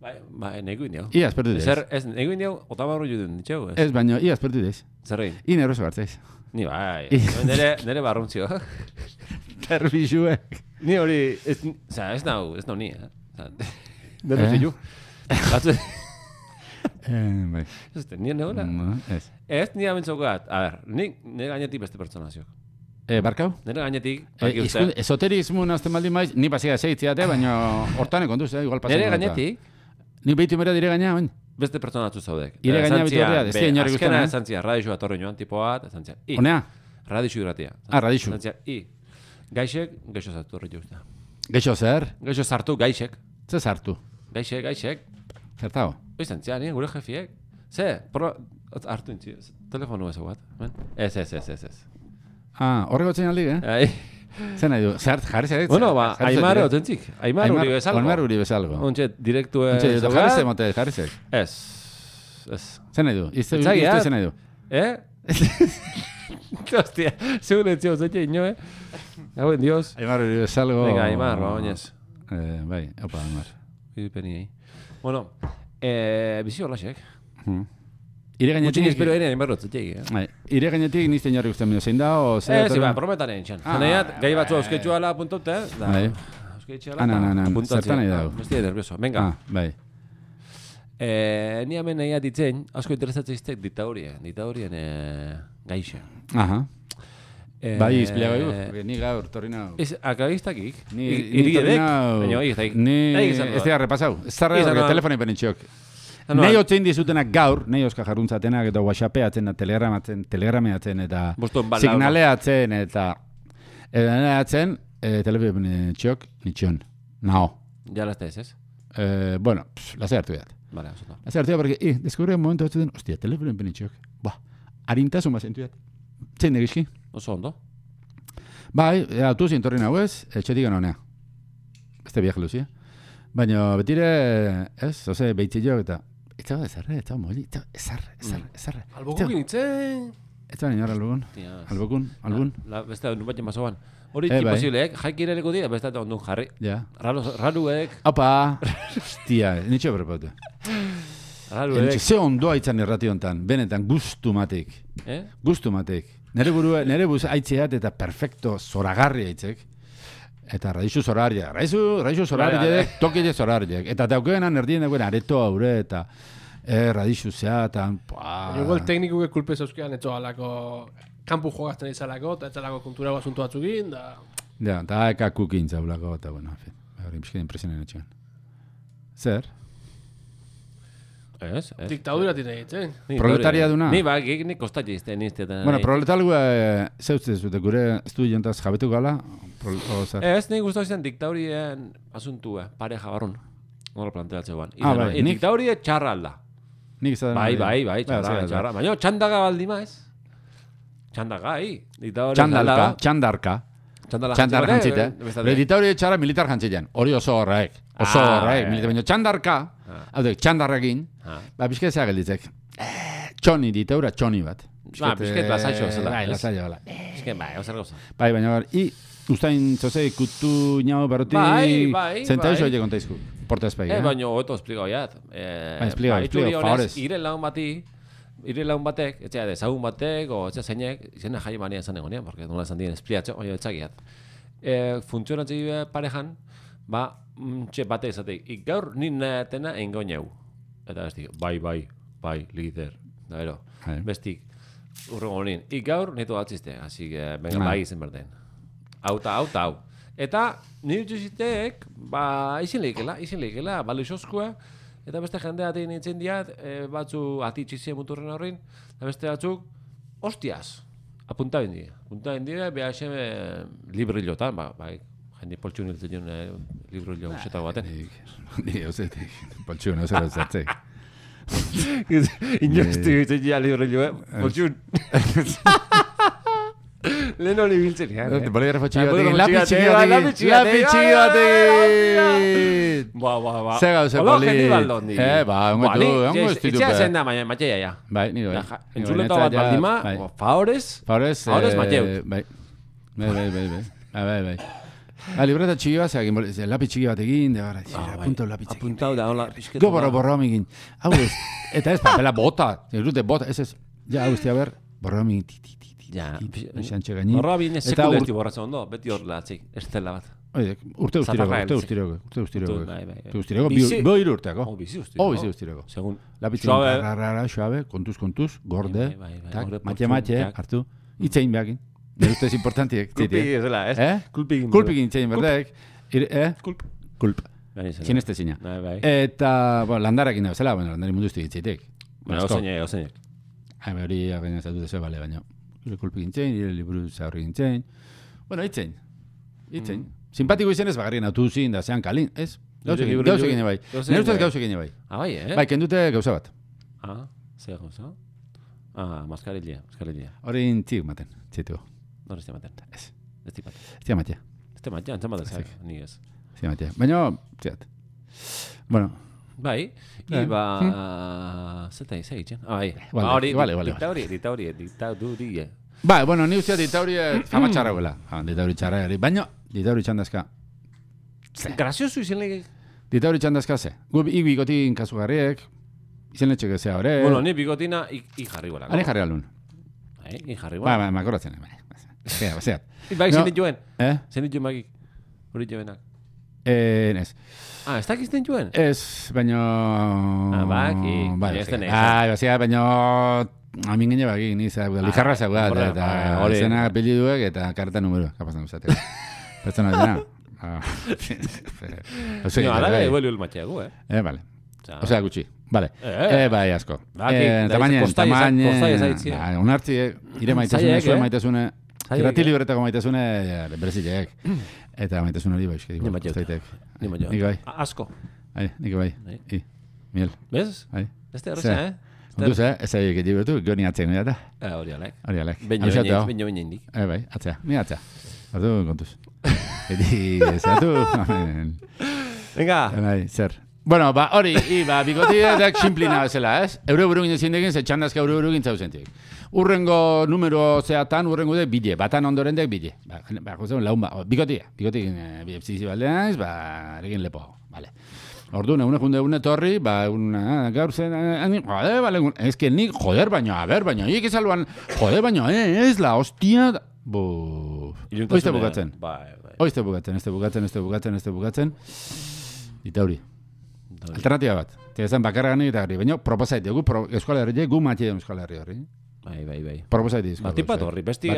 Bai, bai, negu indio. Ia aspertu dez. Zer, ez, negu indio, otabarro juden ditxeu, ez? Ez, baino, ia aspertu dez. Zerrein? I neroso gartzaiz. Ni bai, I- nere, nere barruntzio. Terbixuek. Ni hori, ez, oza, ez nau, ez nau ni, eh? Oza, nero Eh? zilu. Batzu, Eh, bai. ez, nire negoela. No, ez. Ez, nire amentzokat, a ber, nik nire gainetik beste pertsona ziok. Eh, barkau? Nire gainetik, Eh, baki uste, izkun, esoterismo nazten baldin maiz, ni pasia seitziate, baina hortan kontuz, eh, igual pasen. nire gainetik, Ni behitu mera dire gaina, oin. beste pertsona atzu zaudek. Ire Eta gaina esan zian, bitorrea, ez be, dira inori azkena guztana, eh? esan zian, radixu atorri joan tipo bat, esan zian, i, Honea? radixu irratia. Ah, radixu. Esan zian, i, gaixek, gaixo zartu horri juzta. Geixo zer? Gaixo zartu, gaixek, Ze sartu? gaixek, gaixek, Zertago? oizan zian, nire gure jefiek. Ze, pro, hartu intzi, telefonu ez bat, ben? Ez, ez, ez, ez, ez. Ah, horrego tzen aldi, eh? Ai, Zer nahi du? Zer, jarri zer? bueno, ba, Aimar otentzik, Aimar uri bezalgo. Aimar uri bezalgo. Ontxe, direktu Ontxe, ez. jarri zer mote, jarri zer. Ez, ez. Zer nahi du? Izte, Etzagi, izte eh? zer nahi du? Eh? Hostia, segun entzio zete ino, eh? Hauen, Dios. Aimar uri bezalgo. Venga, Aimar, ba, oinez. Eh, bai, opa, Aimar. Idupeni, Bueno, eh, bizi horlaxek. Hmm. Ire Gutxin gainetik... espero ere Aimar otzetek, eh? Bai, ire gainetik nizte inorri guztien mino zein da, o zer... Eh, zi, ba, prometan egin txan. Ah, Zaneiat, gai batzu bai. ausketxu ala apuntaute, eh? Da, Bai. ausketxu Ah, nan, nan, nan, zertan nahi dago? Bestia nervioso, venga. Ah, bai. Eh, ni hemen nahi ditzen, asko interesatzen iztek ditaurien, ditaurien eh, gaixe. Aha. Eh, Bai, izpilago egu, porque ni gaur torri nau. Ez, akagistakik? Ni, I- ni torri Irigedek? nau... Baina, egiztakik. Ni... Egizan Ez dira repasau. Ez zarra Egizan horre doan. telefoni penintxok. Ah, no, Nei al- otzein dizutenak gaur, nei oska jarruntzatenak eta whatsappeatzen, eta telegramatzen, telegrameatzen, eta Boston bala- signaleatzen, eta edaneatzen, e, telefoni penintxok, nitxon. Nao. Ja las ez, ez? Eh, bueno, pff, lasai hartu edat. Vale, oso da. Lasai hartu edat, porque, eh, deskubre momentu batzuten, ostia, telefoni penintxok. Ba, harintasun bazentu edat. Zein egizki? Oso ondo. Bai, autu zintorri nahuez, etxetik honea. Beste biak luzia. Baina betire, ez, oze, behitzillo eta... Ez zago ezarre, ez zago moli, ez zago ezarre, ezarre, ezarre. Albokukin itzen. Ez zago niñor albukun, Tia, albukun, albun. La, beste nun bat jemazoan. Hori Eh, bai. imposible, jaik irereko dira, beste eta ondun jarri. Ja. Raro, raruek, Opa! Hostia, nitxo berrepote. raruek. Ze ondoa itzan irrati hontan, benetan, gustu matek. Eh? Gustu matek. Nere burua, nere buz aitzeat eta perfecto zoragarri aitzek. Eta raizu zorarriak, raizu, raizu zorarriak, tokile zorarriak. Eta daukenan erdien dagoen areto haure eta eh, radizu zeatan, Baina igual teknikuke kulpe zeuzkean etxo alako kanpu jogazten izalako, eta etxalako kultura asuntu batzukin, da... Ja, eta eka kukin zaulako, eta bueno, en fin, hori pixken impresionen etxean. Zer? Ez, ez. Diktadura tine ditzen. Ni Proletaria dure- duna? Ni ba, gik nik kostat jizte, nizte. Bueno, proletalgua e, zeutze zute, gure estudiantaz jabetu gala, prol, o zer? Ez, nik guztau izan diktaurien asuntua, pareja barrun. Nola planteatzea guan. Ah, bai, nik- Diktaurie txarra alda. Nik izaten... Bai, bai, bai, txarra, bai, txarra. Baina txandaga baldima ez. Txandaga, hi. Diktaurie Txandarka, txandarka. Txandala Txandar jantzibare, jantzite. be- bestalde. Hereditauri txara militar jantzilean. Hori oso horrek. Oso Ah, horrek. bai. Militar, baina txandarka, hau da, txandarrekin, Ah. ba, pixka ezea gelditzek. Eh, txoni, ditaura txoni bat. Ba, pixket lasaixo zela, Bai, ez? lasaixo, bala. Eske, bai, ozer gauza. Bai, baina gaur, i, ustain, zoze, kutu, ñao, berroti, Bai, bai, zentaizo bai. hile kontaizku. Porta espai, Eh, eh? baina hobeto esplikau jat. Eh, Bai, esplikau, ba, esplikau, itzuli honez, favorez. Ire laun bati, ire laun batek, etxea dezagun batek, o etxea zeinek, izena jai mania esan egonean, porque nola esan dien espliatxo, oio etxagiat. Eh, funtzionatzen dira parejan, ba, mm, txe bate ezateik, ik gaur ni natena engoineu. Eta bestik, bai, bai, bai, lider. Da, ero, Bai. bestik, urrengo honin, ik gaur neto atziste, así que, venga, Ah. bai izen berden. Hau eta hau eta hau. Eta nire utxuzitek, ba, izin lehikela, izin lehikela, balixozkoa, eta beste jendea atein nintzen diat, e, batzu atitxizie muturren horrein, eta beste batzuk, hostiaz, apunta bendie. Apunta bendie, beha xeme librillotan, ba, bai, jende poltxun hiltzen joan eh, librillo guzetago baten. Nik, nik, ozetik, poltxun, ozer ozatzek. Inozti hiltzen ja librillo, eh, poltxun. Lehen hori biltzen ean. Boligrafo txiki Bolígrafo batekin, txiki lapi batekin, txiki lapi batekin, txiki lapi batekin. txiki batekin. Ba, ba, ba. Ze gauze Hola, poli. genial dondi. Eh, ba, ongo tu, ongo ez ditupe. Etxea zen da, matxea ja. Bai, nire bai. Entzuleta bat baldima, favorez. Favorez, Favorez, Mateu. Bai, bai, bai, bai, bai. Bai, bai. Ah, libreta txiki bat, zeak, lapi txiki bat egin, de gara, apuntau lapi txiki. Apuntau da, hola, pixketu. Go borro borro amigin. Hau ez, eta ez, papela bota, ez dute bota, ez ez, ja, hau ez, ber, borro amigin, ti, ti, ti, ti, Ja, xantxe gainin. borro abin sekule ez borratzen ondo, beti hor latzik, estela bat. Oide, urte ustirego, urte ustirego, urte ustirego. Urte ustirego, bi hiru urteako. Oh, bizi ustirego. Oh, bizi ustirego. Segun. Lapi txiki, rarara, suave, kontuz, kontuz, gorde, tak, matxe, matxe, hartu, itzein behakin. Nire ustez importantiek. Kulpik ez dela, ez? Eh? Kulpik. Kulpik itzein berdek. Eh? Kulp. Kulp. Zinezte zina. Eta, bueno, landarekin da bezala, bueno, landari mundu iztik itzeitek. Bueno, oseinek, oseinek. Hame hori agena zatu dezu, bale, baina. Ire kulpik itzein, ire liburu zaurrik itzein. Bueno, itzein. Itzein. Simpatiko izen ez bagarrien autu zin da zean kalin, ez? Gauzekin bai. Nire ustez gauzekin bai. Ah, bai, eh? Bai, kendute gauza bat. Ah, zer gauza? Ah, maskarilla, maskarilla. Hori intzik maten, txetuko. Nor ez tematen. Ez. Ez tipat. Ez tiamatea. Ez tematea, antzamaten zak, ni ez. Ez tiamatea. Baina, txat. Bueno. Bai, iba... Zeta izan egiten? Ah, bai. Hori, ditauri, ditauri, ditauri. Bai, bueno, ni usteat ditauri fama txarra guela. Ditauri txarra eri. Baina, ditauri txandazka. Graziosu izan lege? Ditauri txandazka ze. Gu bikotin kasu garriek. Izen letxeke zea hori. Bueno, ni bikotina i jarri guela. Ani jarri alun. Bai, i jarri guela. Bai, bai, makoratzen. Bai, zea, zeat. Bai, zen dituen? Eh? Zen dituen magik? Hori jovenak? Eh, ez. Ah, ez dakiz dituen? Ez, baina... Ah, baki. Bai, ez den bai, bazia, baina... Amin gine baki, ni zera, lijarra zau bat, eta zena pili duek, eta karta numero, kapazan uzatek. Pertsona dena. No, ala gai huelu el matxeagu, eh? Eh, bale. Osea, gutxi. Vale. Eh, bai, asko. Tamainen, tamainen... Unartzi, ire maitazune, zuen maitazune... Irrati libretako maitazune, berezilek. Eta maitazune hori bai, eski. Ni matxeut. Ni matxeut. Nik bai. Asko. Nik bai. I, miel. Bez? Ez da horreza, eh? Onduz, eh? Ez ari egitik betu, goni atzea nire eta. Hori alek. Hori alek. Beño beño indik. Eh, bai, atzea. Mi atzea. Artu kontuz. Edi, zeratu. Venga. Bai, zer. Bueno, ba, hori, i, ba, bikotiak simplina bezala, ez? Eure buru ginen zindekin, ze txandazka eure buru gintzau zentik. Urrengo numero zeatan, urrengo dek bile, batan ondoren dek bile. Ba, ba, jozen, laun ba, bikotia, bikotik, bizizi baldean, ba, eregin lepo, bale. Orduan, egun egun egun etorri, ba, egun, gaur zen, joder, bale, ez que nik, joder, baina, a ber, baina, hiek esalban, joder, baina, ez la, hostia, bu... Oizte bukatzen. Oizte bukatzen, este bukatzen, este bukatzen, este bukatzen. Itauri. Alternatiba bat. Tezan bakarra gani eta gari. Baina, proposait dugu, Euskal Herri, gu matxe dugu Euskal Herri horri. Bai, bai, bai. Proposait dugu. Batipat horri, besti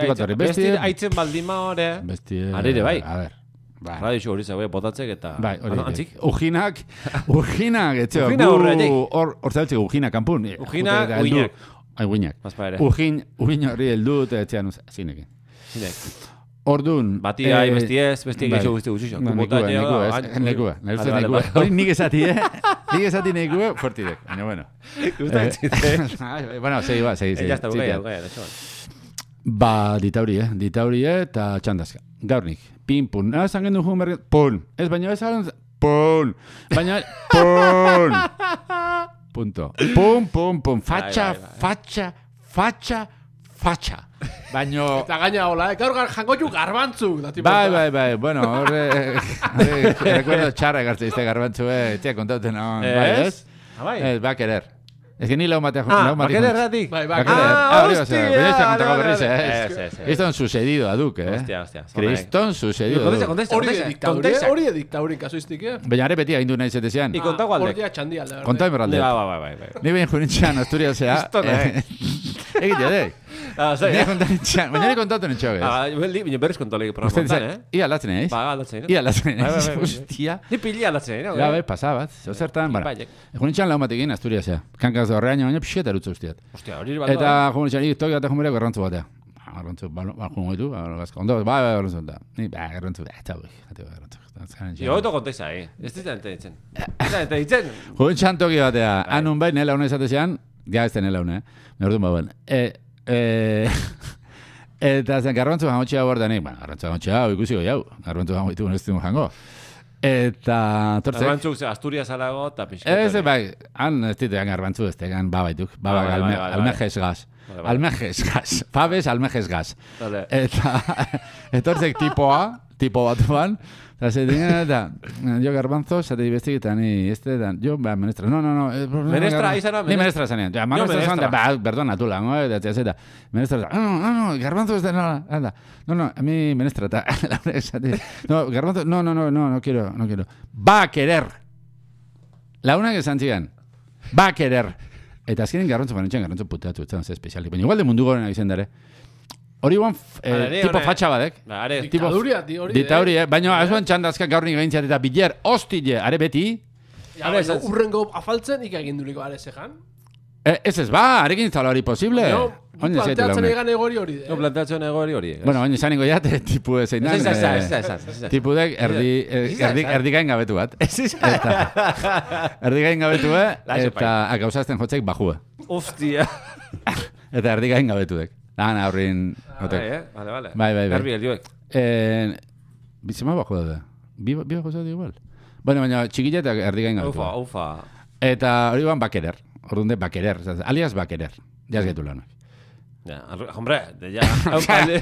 aitzen baldima horre. Besti... Arire, bai. A ver. Radio show hori zagoe botatzek eta... Bai, hori. Antzik? Ujinak, ujinak, etxeo. Ujina horre, jek. Hor zautzik, ujinak kanpun. Ujinak, uinak. Ai, uinak. Bazpa ere. Ujin, uin horri heldut, etxean, zinekin. Zinek. Ordun, bati gai, besti ez, besti geixo guzti guztixo. Nekua, nekua, nekua. Nekua, hori nik esati, eh? Nik esati nekua, fortidek. Baina, bueno. Gustan txite. Bueno, segi ba, segi, segi. Ya está, bukaia, bukaia, da xoan. Ba, ditauri, eh? Ditauri, eh? Ta txandazka. Gaurnik. Pin, pun. Ah, zangen du jugun bergen. Pun. Ez, baina ez hagan... Pun. Baina... Pun. Punto. Pun, pun, pun. Fatxa, fatxa, fatxa, fatxa. Baino... Eta gaina hola, eh? Gaur jangoitu garbantzuk. Bai, bai, bai. Bueno, horre... Recuerdo txarra egartze izte garbantzu, eh? Etxea kontauten hon. Ez? Bai? Ez, ba querer. Ez que ni lau matea... Ah, ba querer ratik. Bai, ba querer. Ah, hostia. Baina ez da kontako berriz, eh? Ez, ez, ez. Kriston sucedido aduk, eh? Hostia, hostia. Kriston sucedido aduk. Kontesta, kontesta, kontesta. Hori ediktaurin kasuiztik, eh? Baina are beti agindu nahi zetezean. I kontako aldek. Hortia txandi alde. Kontai berralde. Bai, bai, bai, bai. Ni behin jurintxean Asturiasea. Kristona, eh? Egitea, dek. Ah, zai, Ni eh? kontalitxean. Baina ni kontatu netxo, ez? Ah, baina berriz kontolegi programotan, eh? Ia aldatzen, eh? Ba, aldatzen, eh? Ia aldatzen, Bai, bai, eh? bai, bai. Hostia. Ni pili aldatzen, eh? Ja, bai, pasabat. Zertan, bara. Jurintxean lau matekin Asturiasea. Kankaz horrean, baina pixeta erutzu ustiat. Hostia, hori bat. Eta jurintxean, ik toki bat egun garrantzu batea. Garrantzu, balkun goitu, gazko, ondo, bai, bai, garrantzu da. Ni, bai, garrantzu, eta bai, garrantzu. Jo, oto kontesa, eh? Ez ditzen ente ditzen. Ez ente ditzen. Jurintxean toki batea, anun bai, nela une esatezean, ga ez nela une, eh? Nordun bauen. E, e, Eta zen, garbantzu jangotxea hor denik, bueno, garbantzu jangotxea hau ikusiko jau, garbantzu jangoitu ez dugu jango. Eta, tortzek... Garbantzuk ze Asturias alago eta pixket. Ez, bai, han ez ditean garbantzu ez tegan babaituk, babak Ah, bai, bai, bai, almejes gaz. Vale, vale. Almejes gaz, pabes almejes gaz. Vale. Eta, etortzek tipoa, tipo batuan, eta ze dinen, eta, jo garbanzo, zate dibestik, eta ni, este, da, jo, ba, menestra, no, no, no. Eh, Menestra, izan, Ni menestra zanean, ja, menestra zanean, ba, perdona, tula, no, eta, eta, eta, menestra, no, no, no, garbanzo ez da, no, anda, no, no, a mi menestra, eta, no, garbanzo, no, no, no, no, no quiero, no quiero, va a querer, launak esan zigan, va a querer, eta azkenin garbanzo banetxean, garbanzo puteatu, ez da, espezialik, baina igual de mundu goren izan dare, hori guan, eh, tipo fatxa badek. Ba, are, Diktaduria, di hori. Ditauri, eh? Baina azuan txandazka gaur nik gaintziat eta biler, hostile, are beti. Ja, baina, urrengo afaltzen ikagin duliko are zejan. Eh, ez ez, ba, arekin zala hori posible. No, Oin ez planteatzen launek. egan egori hori. no planteatzen egori hori. Bueno, oin esaniko jate, tipu ez einan. Ez, ez, ez, ez, ez, ez. Tipu dek erdi, eh, Ez, ez, erdi, ez. erdikain gabetu bat. Ez, ez. Eta, erdikain gabetu, eh? Laixo, Eta akausazten jotzek bajue. Hostia. Eta erdikain gabetu dek. Lan aurrin... Bai, eh? Vale, vale. Bai, bai, bai. Garbi helioek. Eh, bizima bajua da. Bi, bi bajua da igual. Bueno, baina txikilla eta erdikain gabetu. Ufa, ufa. Eta hori guan bakerer. Orduan de bakerer. Alias bakerer. Jaz getu lanak. Ja, arru- hombre, de ya. Aukale.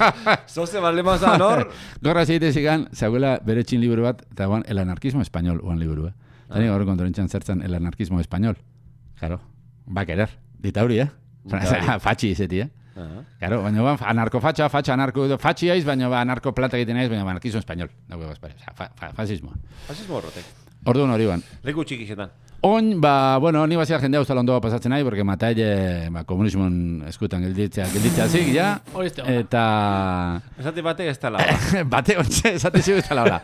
Zoze balema zan hor. Gorra zeite zigan, zaguela bere txin liburu bat, eta guan el anarquismo español uan liburu, eh? Eta nik gaur kontorentxan zertzen el anarquismo español. Claro, bakerer. Dita hori, eh? Dita Fatxi izeti, eh? Aha. Claro, baina ba, anarkofatxa, fatxa, anarko, fatxi aiz, baina ba, anarko plata egiten aiz, baina ba, anarquismo español. Dago, espera, fa, fa, fascismoa. Fasismo horrotek. Orduan hori ban. Leku txikixetan. Oin, ba, bueno, ni bazia jendea ustal ondoa pasatzen nahi, porque mataile, ba, komunismon eskutan gelditzea, gelditzea zik, ja. Hori ez da. Eta... Esate batek ez tala. Bate ontxe, esate zigu ez tala hola.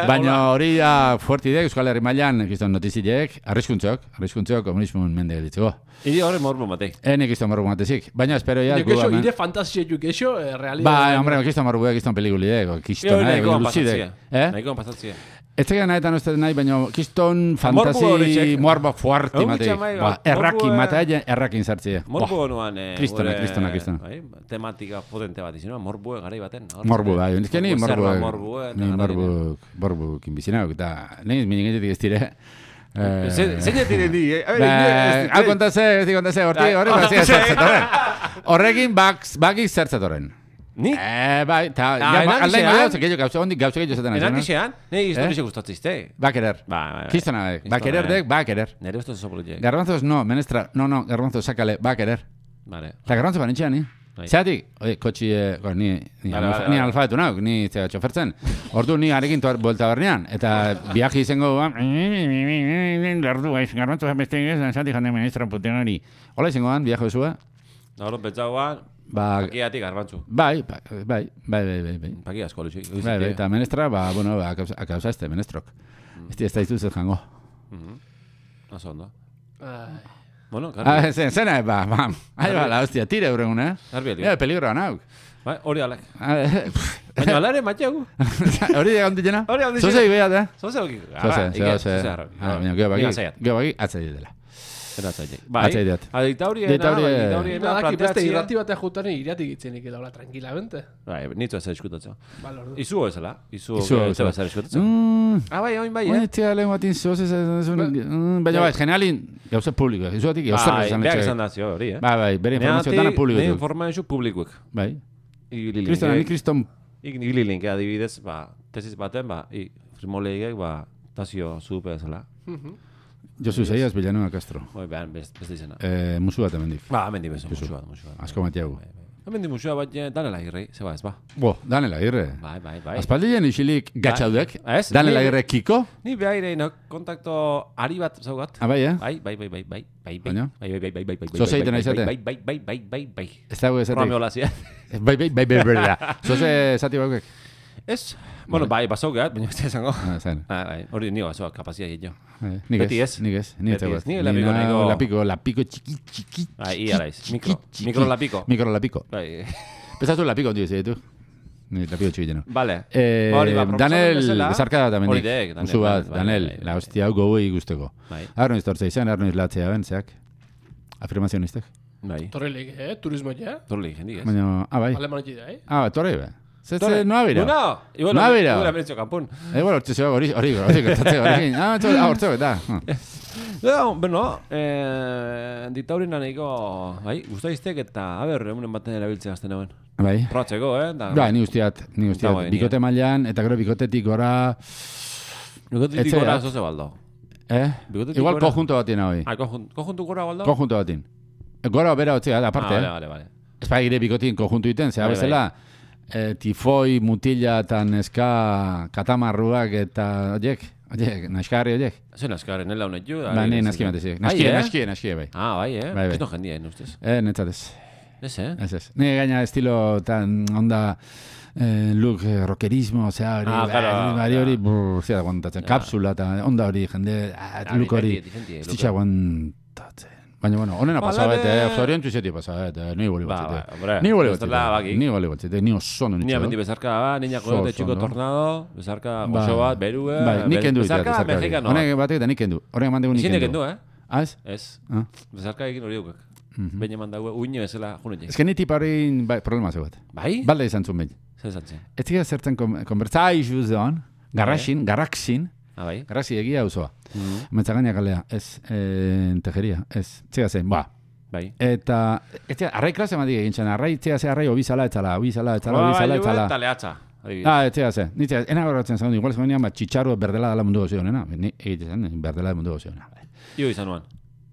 Baina hori da fuertidek, Euskal Herri mailan, kiston notizileek, arriskuntzok, arriskuntzok komunismon mende gelditzeko. Iri horre morbo matei. Ene kiston marru matezik. Baina espero ya... Yo queso, ire fantasia jo queso, eh, realidad. Ba, hombre, kiston marru buek, kiston pelikulidek, kiston, Io, eh, nahikoan lucidek. pasatzia. Eh? Nahikoan pasatzia. Ez tegana eta no ez nahi, baina kiston Morbo fantasi horiek. morbo fuerte Hau matei. bitxamai, Ba, morbo, errakin, eh. mataile errakin sartzea. Morbo nuan... Eh, Kristona, gure, kristona, kristona. Bai, tematika potente bat izan, morbue garai baten. Hor, Morbu, bai. Ez que ni morbu... Morbue, Ni morbu... Morbu kinbizinauk, eta... Ni minigetetik ez dire... Zein diren di, eh? Hau kontase, ez di kontase, horti, hori, bazia zertzatoren. Horrekin bakik zertzatoren. Ni? Eh, bai, eta... Ah, Aldain enakixean? gauza, gehiago gauza, hondik gauza gehiago zaten. Enakixean? Nei historixe gustatzizte. Ba querer. Ba, ba, ba. Kistona, ba querer dek, ba querer. Nere usto zopoliek. Garbanzos no, menestra, no, no, garbanzos sácale, ba querer. Vale. Eta garbanzo banetxean, ni? Bai. Zeatik, oie, kotxi, eh, bueno, ni, ni, Vale, alfa, vale, ni vale. alfabetu nauk, ni zera txofertzen. Ordu ni arekin tuar bolta bernean, eta viaje izango ba, lardu, aiz, garbanzo beste ez, zati jande ministra putenari. Hola izango ban, viaje bezua, Gaur pentsauan, ba, pakiatik garbantzu. bai, ba- bai, bai, bai, bai, bai. Paki asko luzik. Bai, bai, eta menestra, ba, bueno, ba, akauza- akauza este, menestrok. Ez di ez da izuz ez jango. Oso ondo. Ai. Bueno, Ah, garbi. zen, zena, ba, ba, ahi ba, la hostia, tire euregun, eh? Garbi helio. Ja, peligroa nauk. Bai, hori alek. Ah, Baina alare matxegu. Hori da onditena? Hori onditena. Zozei behat, eh? Zoze hoki. Zoze, zoze. Ah, baina, gero baki, gero baki, atzai dela. Eratzaileik. Bai. Atzai diat. Adiktauriena, Diktauri- bai, diktauriena, Badaki beste planteatzia. irrati batea jutaren iratik itzenik edo, hola, tranquilamente. Bai, nitzu ez eskutatza. Bale, ordu. Izu ezela. Izu Izu ez bezala. zer eskutatza. Mm, Ah, bai, oin bai, Oin eh? etxea lehen batin zoz ez baina bai, generalin gauza publiko, izuatik gauza Bai, esan behar etxe. izan da zio hori, eh? Bai, bai, bere informazio dana Ne publiko. informazio publikuek. Bai. Igililink. Kristona, ni kriston Igililink, adibidez, ba, tesis baten, ba, i, frimoleigek, ba, tazio zupe ezela. Josu Zaiaz Villanueva Castro. Bai, behar, beste izena. Eh, musu bat hemendik. Ba, hemen di bezo, musu bat, musu bat. Asko matiagu. Hemen di musua bat, eh, danela irrei, zeba ez, ba. Bo, Danela Agirre. Bai, bai, bai. Aspaldien isilik gatxaudek. Ez, Danela ni- Agirre kiko. Ni behairein kontakto ari bat zaugat. Ah, bai, eh? Bai, bai, bai, bai, bai, bai, bai, Baina? bai, bai, bai, bai, bai, bai, Zoze bai, egiten bai, aizate? bai, bai, bai, bai, bai, bai, Ez dago esatik. Romeo Lazia. Bai, bai, bai, bai, bai, bai. Zoze esati baukek. Ez, bueno, bai, basau gehat, baina ez da esango. Ah, zain. Ah, bai, hori nio basoa, kapazia egin jo. Eh, Nik Beti ez, ez. nik ez. Ni ez Beti dago ez. ez. Ni lapiko, nao nahiko- Lapiko, lapiko txiki, txiki. Bai, txiki, ia naiz, txiki, mikro, txiki. mikro lapiko. Mikro lapiko. Bai, Pesatu lapiko, tío, ditu. Ni lapiko txiki jeno. vale. Eh, Hori, ba, proposamen Danel, bezala. bezarka da Hori tamendik. dek, Danel, Musu bat, bai, bai, Danel, bai, bai. la hostia hau gogoi guzteko. Bai. Arno iztortza izan, arno izlatzea ben, zeak. Afirmazionistek. Bai. Torrelik, eh? Turismo ja. Torrelik, jendik, ez? Baina, ah, bai. Alemanetxe da, eh? Ah, torre, bai. Zetze, no abira. No, igual, no abira. Igual, aberetxo kanpun. Igual, hortze zeba, hori, hori, hori, hori, hori, ah, hortze, eta. No, bueno, eh, ditaurina nahiko, bai, guztaiztek eta, a ber, egunen baten erabiltzea azten hauen. Bai. Probatzeko, eh? Da, Bai, ni guztiat, ni guztiat. Dago, Bikote mailan, eta gero bikotetik gora... Bikotetik gora zoze baldo. Eh? Bikotetik Igual gora. konjunto batien hau. Ah, konjunto, konjunto gora baldo? Konjunto batien. Gora bera hotzea, aparte, ah, eh? vale, vale, vale. Ez pa gire bikotin konjuntu iten, zera Bai, bezala, eh, tifoi, mutila eta neska katamarruak eta oiek, oiek, naskarri oiek. Zer naskarri, nela honet ju? Ba, ni naski matezik. Naskie, naskie, naskie, bai. Ah, bai, eh? Bai, bai. Ez no jendien, ustez. Eh, netzatez. Ez, eh? Ez, ez. Ni gaina estilo tan onda eh, look eh, rockerismo, osea, hori, Ah, claro, hori, hori, claro. brr, zera guantatzen, kapsula eta onda hori, jende, ah, Ah, look hori, diferenti, diferenti, estitxa guantatzen. Baina, bueno, honena Ba, pasabet, lane- eh, zorion txuzetik pasabet, eh, ni boli Ba, batzete. ba, hombre, Ni boli ez dela batzete, bakik. ni boli batzete, ni oso no Ni nitxo. amendi bezarka, ba, niña Oso, koyote txiko ondo. tornado, bezarka Ba, goxo bat, berue, Bai, nik kendu ditea, bezarka bezarka hori. mexikanoa. Honek batek eta nik kendu. Horrek eman dugu nik Ezin kendu. kendu, eh? Ah, ez? Ez. Ah. Bezarka egin hori dukak. Behin eman dago, uine bezala junetik. Ez que ni tipa hori bai, problema zegoet. Bai? Balda izan zuen behin. Zer esan zen? Ez zira zertzen konbertzaizu zeon, garraxin, garraxin, Ah, bai? garraxi egia auzoa. Mhm. Metzagaina kalea, ez, eh, tejeria, ez, txega zen, ba. Bai. Eta, ez txega, arrai klase madik egin zen, arrai txega ze arrai obizala etzala, obizala etzala, Ba, obizala bai, etzala. eta lehatza. adibidez. Ah, ez txega zen, nitzea, ena gorratzen zen, igual zegoenean, bat txitxarro berdela dela mundu gozio nena, ni egiten zen, berdela mundu gozio nena. Io izan nuan.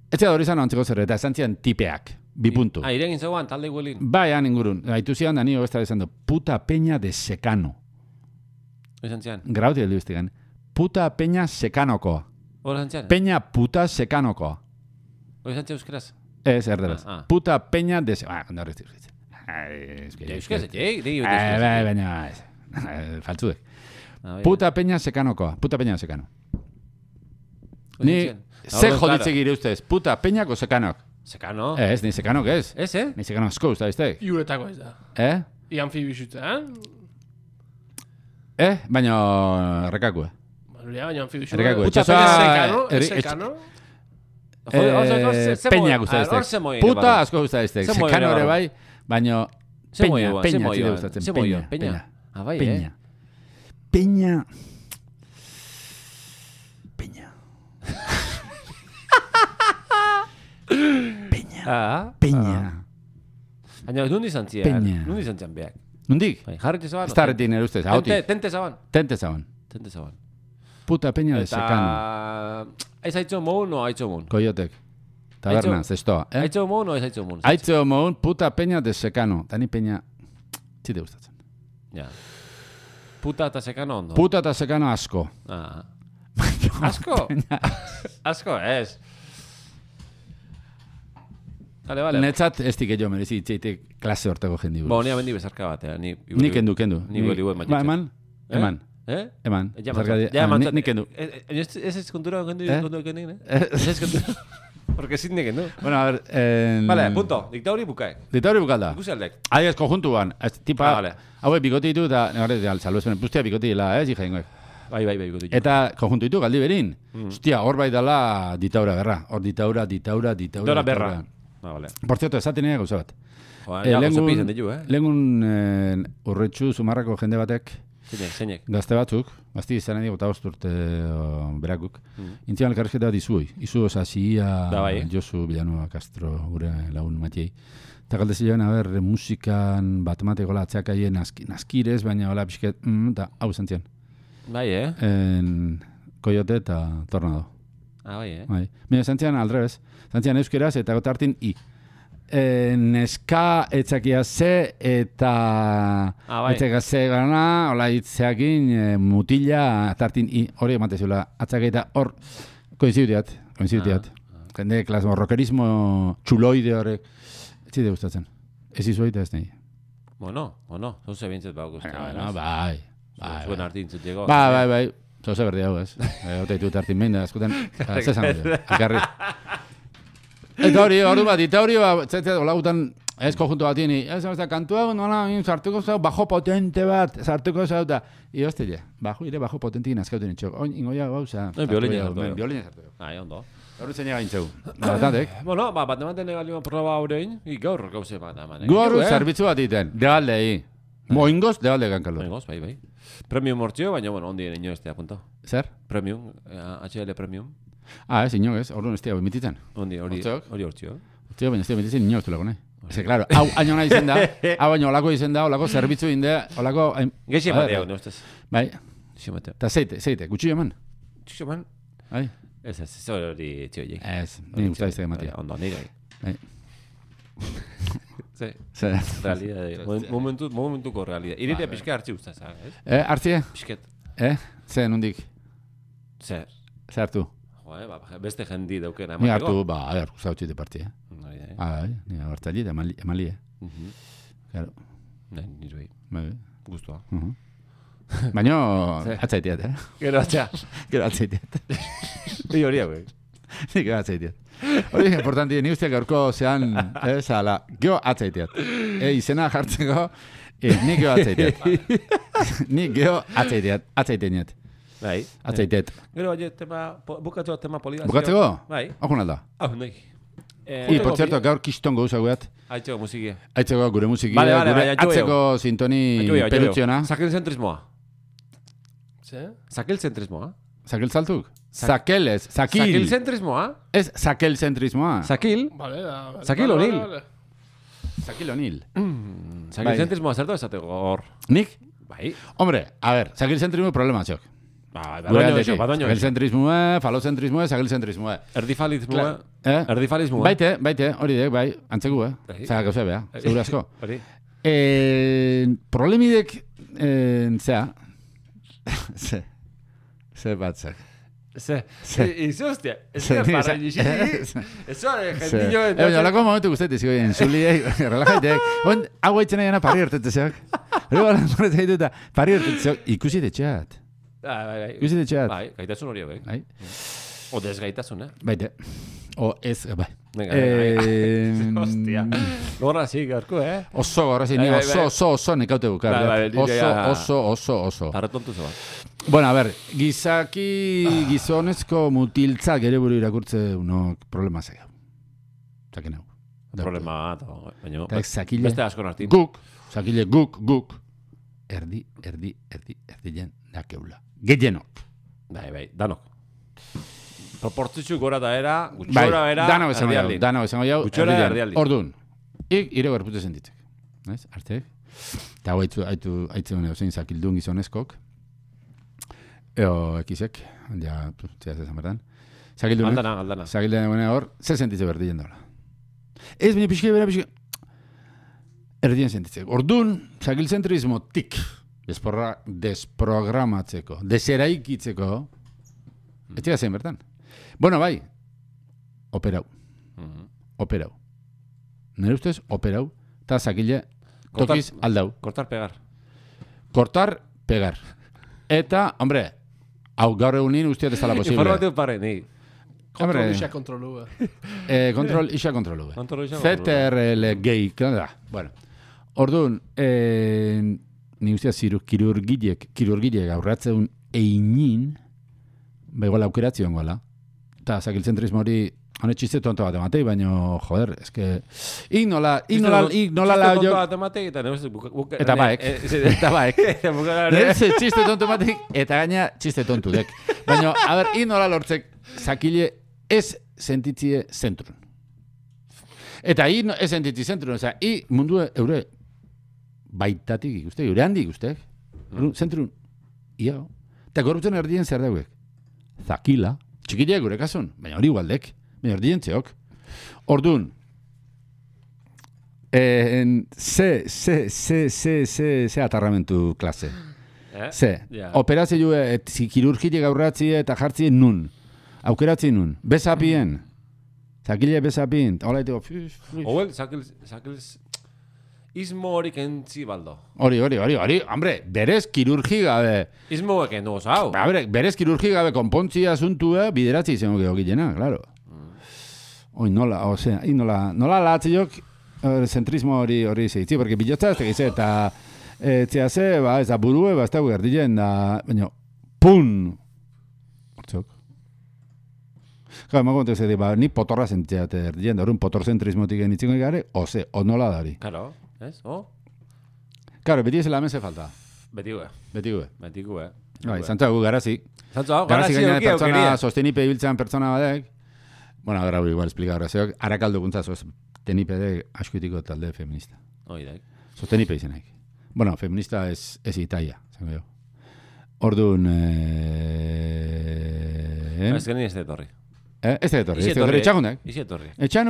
Ez txega hori zan antzeko zer, eta esan zian tipeak, bi puntu. Ah, iregin zegoan, talde iguelin. Bai, han ingurun, haitu zian da nio besta esan du, puta peña de secano. Izan zian. Grauti heldu iztigan. Puta peña secanokoa. Hora izan zian? Peña puta secanokoa. Hora izan zian euskeraz? Ez, erderaz. Ah, ah. Puta peña de... Ah, kondo horrez dira. Euskaz, etxeik, digi Eh, bai, baina... ez. Faltzudek. Puta peña secanokoa. Puta peña secano. Ni... Ze joditze gire ustez. Puta peñako sekanok. Sekano? Ez, ni sekanok ez. Ez, eh? Ni sekanok asko usta iztek. Iuretako ez da. Eh? I anfibixutzen. Eh? Baina... Rekakue. Baina, baina anfibixutzen. Errekako, Puta etxasoa- peña sekano, erri- sekano. Eh, peña gusta iztek. Puta asko gusta iztek. Ze moi Sekano ere ere barru. bai, baina... Ze moi Peña, ere, ze peña, moi zide ere. gustatzen. Ze moi ere, Peña, peña. peña. Ah, bai, Peña. eh? Peña. Peña. Peña. Ah, Peña. baina, nundi izan zian? Peña. Nundi izan zian beak? Nundik? Bai, jarretxe zaban? Ez da retin erustez, Tente, hautik. tente zaban? Tente zaban. Tente zaban. Puta peña de secano. Eta... Ez haitzo moun o haitzo moun? Koiotek. Taberna, Haitzo- zestoa. Eh? Haitzo moun o ez haitzo moun? Haitzo moun, puta peña de secano. Tani peña... Zite gustatzen. Ja. Puta eta sekano ondo? Puta eta secano asko. Ah. Asko? Asko, ez. Vale, vale. Netzat ez dik jo merezi itxeitek klase hortako jendi buruz. Bo, ni abendi bezarka bat, eh? Ni, Ni kendu, kendu. Ni goli gol Ba, eman? Eh? Eman. Eh? Eman. Ja, Zergatik- mantzat. Ja, ah, ni- mantzat. Ni kendu. Eh, eh, Ez ez ez kontura kendu, Eh? kontura kendu, eh? Ez ez kontura. Porque sin de kendu. Bueno, a ver... En... Vale, punto. Diktauri bukaek. Ditauri bukalda. Ikusi aldek. Adiez, konjuntuan. Ez, tipa... Ah, vale. Hauek bikoti ditu eta... Negare, salbezpenen pustia bikoti dela, ez, hija ingoek. Bai, bai, bai, gutu. Eta konjuntu ditu, galdi berin. Mm. Hostia, hor bai dela ditaura berra. Hor ditaura, ditaura, ditaura. Dora ditaura. berra. Ah, vale. Por cierto, esaten ega gauza bat. Joa, Eh, ja, lehengun- gozo pizan ditu, eh? Lehengun eh, urretxu zumarrako jende batek, Zeinek, zeinek. gazte batzuk, gazti izan edo eta urte o, berakuk, Mm. intzian elkarrizketa bat izuoi. Izu osazia, Da bai. Josu Villanueva Castro, gure lagun matiei. Eta galde zilean, a ber, musikan bat matekola atzeakaien naski, naskirez, baina hola pixket, mm, eta hau zantzian. Bai, eh? En Coyote eta Tornado. Ah, bai, eh? Bai. Mira, zantzian aldrebez. Zantzian euskeraz eta gotartin i. E, neska etzakia ze eta Ah, bai. etzakia ze gana, hola hitzeakin e, mutila tartin i. Hori ematezula atzakeita hor koinzidutiat, koinzidutiat. Jende klasmo rockerismo txuloide horrek. Ez zide gustatzen. Ez izuaita ez nahi. Bueno, bueno, zauze bintzet bau guztia. Bueno, bai. Bai, Zuen bai. artin zutiko. Bai, bai, bai. Zoze berdi hau, ez. E, Ota ditut hartin behin da, eskutan. Zezan hori, elkarri. Eta hori, hori bat, eta hori bat, zetzea, hola gutan, ez konjunto bat ini, ez da, kantua, nola, sartuko zau, bajo potente bat, sartuko zau, eta, ioztile, bajo, ire, bajo potentik nazkauten itxok. Oin, ingoia gauza. Eh, biolina sartu, eh. Biolina sartu. Ai, ondo. Gaur zein gaintzeu. Batantek. Bueno, ba, bat ematen egalioan proba horrein, i gaur gauze bat eman. Gaur zerbitzu bat iten, degaldei. Moingoz, degalde gankalor. Moingoz, bai, bai. Premium hortzio, baina, bueno, ondien ino ez te apuntau. Zer? Premium, H L Premium. Ah, ez, ino ez, orduan ez tia emititzen. Ondi, hori Hortziok? hori hortzio. Tio, baina ez tia emititzen ino ez tulako nahi. Eze, claro, hau aino nahi zen da, hau baino olako izen da, olako zerbitzu inde, olako... Geixi ematea, no ustez. Bai, Geixi ematea. eta zeite, zeite, gutxi eman. Txixo man. Bai, Ez, ez, ez hori txio jek. ez, nire guztai ez ematea. Ondo, nire. Bai, Ze, zer. realidade. Momentu, momentuko realidade. Iritea pixka hartzi ustez, ez? Eh, hartzie? Pixket. Eh, ze, nondik, Zer. ze hartu? Jo, eh, ba, beste jendi daukena Ni hartu, ba, a ver, zautxite parti, eh. Hori da, eh? Ah, bai, ni hartzali eta emali, emali, eh. Mhm. Claro, Nahi, nire bai. bai, Guztua. uh Baina, Ze. atzaiteat, eh. Gero atxa. Gero atzaiteat. Bi hori hau, eh? Nik gero atzaiteat. Hori importanti, ni usteak gaurko zean, ez, ala, gero atzaiteat. E, izena jartzeko, e, nik gero atzaiteat. Nik gero atzaiteat, atzaiteat. Bai. Atzaiteat. Gero, oie, tema, po- bukatzeko tema polidazio. Bukatzeko? Bai. Okun alda. Hau, nahi. Eh, I, por cierto, gaur kiston gauza guet. Aitzeko musikia. Aitzeko gure musikia, Vale, vale, gure bai, aitxo atzeko sintoni perutziona. Sakel zentrismoa. Ze? Sakel zentrismoa. Sakel zaltuk? Sak- Sakel ez, sakil. Sakel zentrismoa. Ez sakel zentrismoa. Sakil. Vale, da, vale. Sakil Vale, O'Neill. vale, vale. Sakil onil. Sakel Bai. zentrismoa zertu esateko hor. Nik? Bai. Hombre, a ver, sakil zentrismo problema txok. Ba, Gure badoño aldetik. eso, badoño Sakil eso. zentrismoa, falozentrismoa, sakil zentrismoa. Erdifalismoa. Eh? Erdifalismoa. Baite, baite, hori dek, bai, antzeku, eh? Bai. Zara gauza beha, segura asko. Hori. Eh, problemidek, eh, zea, ze, ze batzak. Ze. Ze. Izo, hostia. Ez Ze, da ni- para ze- nixi. Eso, Ze. jendillo. Eh, baina, olako momentu guztetik, ziko egin, zuliei, relajaitek, on, hau haitzen nahiena pari hartetzeak. Hori bala, horretzen ditu eta pari hartetzeak, ikusi detxeat. Bai, bai, bai. Ikusi detxeat. Bai, gaitasun hori, bai. Bai, O desgaitasun, eh? baite. O ez, bai. Venga, Eh, venga. Hostia. Lorra, sí, gaurko, eh? Oso, horrezik, Bai, ni bai, oso, bai. oso, oso, nekaute bukar. Bai, bai, oso, nire ja- oso, oso, oso. Tarretontu zeba. Bueno, a ver, gizaki, gizonezko mutiltzak ere buru irakurtze unok problema zegau. Zaken hau. Problema bat, baina... Eta zakile, Beste asko nartin. guk, zakile guk, guk, erdi, erdi, erdi, erdi jen dakeula. Gehienok. Bai, bai, danok. Proportzitzu gora da era, Bai, gutxora era, dano esango jau, erdialdin. dano esango jau, Gutxora erdian. erdialdin. Ordun, ik ire gorpute sentitzek. Ez, artek? Eta hau haitu, haitu, haitu hone ozein zakildun gizonezkok. Eo, ekizek, ja, zehaz ezan berdan. Zakildunek, Aldana, aldana. zakildunek bene hor, ze sentitze berdien daula. Ez, bine pixke, bera pixke, erdien sentitzek. Ordun, zakilzentrismotik, desporra, desprogramatzeko, deseraikitzeko, etxega zen bertan. Bueno, bai, operau, Mhm. operau. Nire ustez, operau, eta zakile Kortar- tokiz aldau. Kortar pegar. Kortar, pegar. Eta, hombre, hau gaur egunin usteat ez dala posible. Informatiu pare, ni. Kontrol Hombre. isa kontrolu. eh. Eh, kontrol, isa kontrolu. Kontrol isa C T R L gehi, da. Bueno, orduan, eh, ni usteat ziru, kirurgilek, kirurgilek aurratzeun einin, begola aukeratzioan gola. Eta zakilzentrismo hori, hone txiste tonto bat ematei, baina, joder, eske, ik nola, ik nola, ik nola la jo... Eta nebez, buka... buka- Eta ne- baek, eh, ze- eta baek. buka- Nire txiste tonto batek, eta gaina txiste tontu dek. Baina, a ber, ik nola lortzek zakile ez sentitzie zentrun. Eta i no, ez sentitzi zentrun, oza, i mundu eure baitatik ikuste, eure handi ikustek. Mm. Zentrun, ia. Eta gorputzen erdien zer dauek. Zakila, txikileak gure kasun, baina hori igualdek, baina erdien txeok. Ordun, eh, ze, ze, ze, ze, ze, ze atarramentu klase. Eh? Ze, Ja. operazio et kirurgiek aurratzie eta jartzie nun. Aukeratzi nun. Bezapien. Zakile bezapien. Hola ito. Oel, sakil... sakil... Ismo hori kentzi baldo. Hori, hori, hori, hori. Hombre, berez kirurgi gabe. Ismo eken dugu zau. Ba, bre, berez kirurgi gabe konpontzia asuntua bideratzi izango geho gilena, claro. Oi, nola, osea, i nola, nola latziok eh, zentrismo hori hori zeitzi, porque bilotza ez tegize, eta eh, txeaze, ba, ez da burue, ba, ez da guerdilen, da, baina, pun! Hortzok. Gau, emago kontek zedi, ba, ni potorra sentitzea erdien, da horren potorzentrismotik genitziko gare, oze, onola dari. Claro, ez? Oh? Claro, beti ez hemen ze falta. Betikue. Betikue. Betikue. Bai, zantza gu garazi. Zantza hau, Garazi garazi gaina euki pertsona aukeria. sostenipe ibiltzean pertsona badek. Bueno, gara igual explica grazioak, arakaldo guntza sostenipe de askuitiko talde feminista. Hoi daik. Sostenipe izenaik. Bueno, feminista ez, ez itaia, zango jo. Orduan, eh... Ez geni ez da etorri. Eh, ez da etorri, Isi ez da etorri, etxagundak. Isi etorri. Etxan,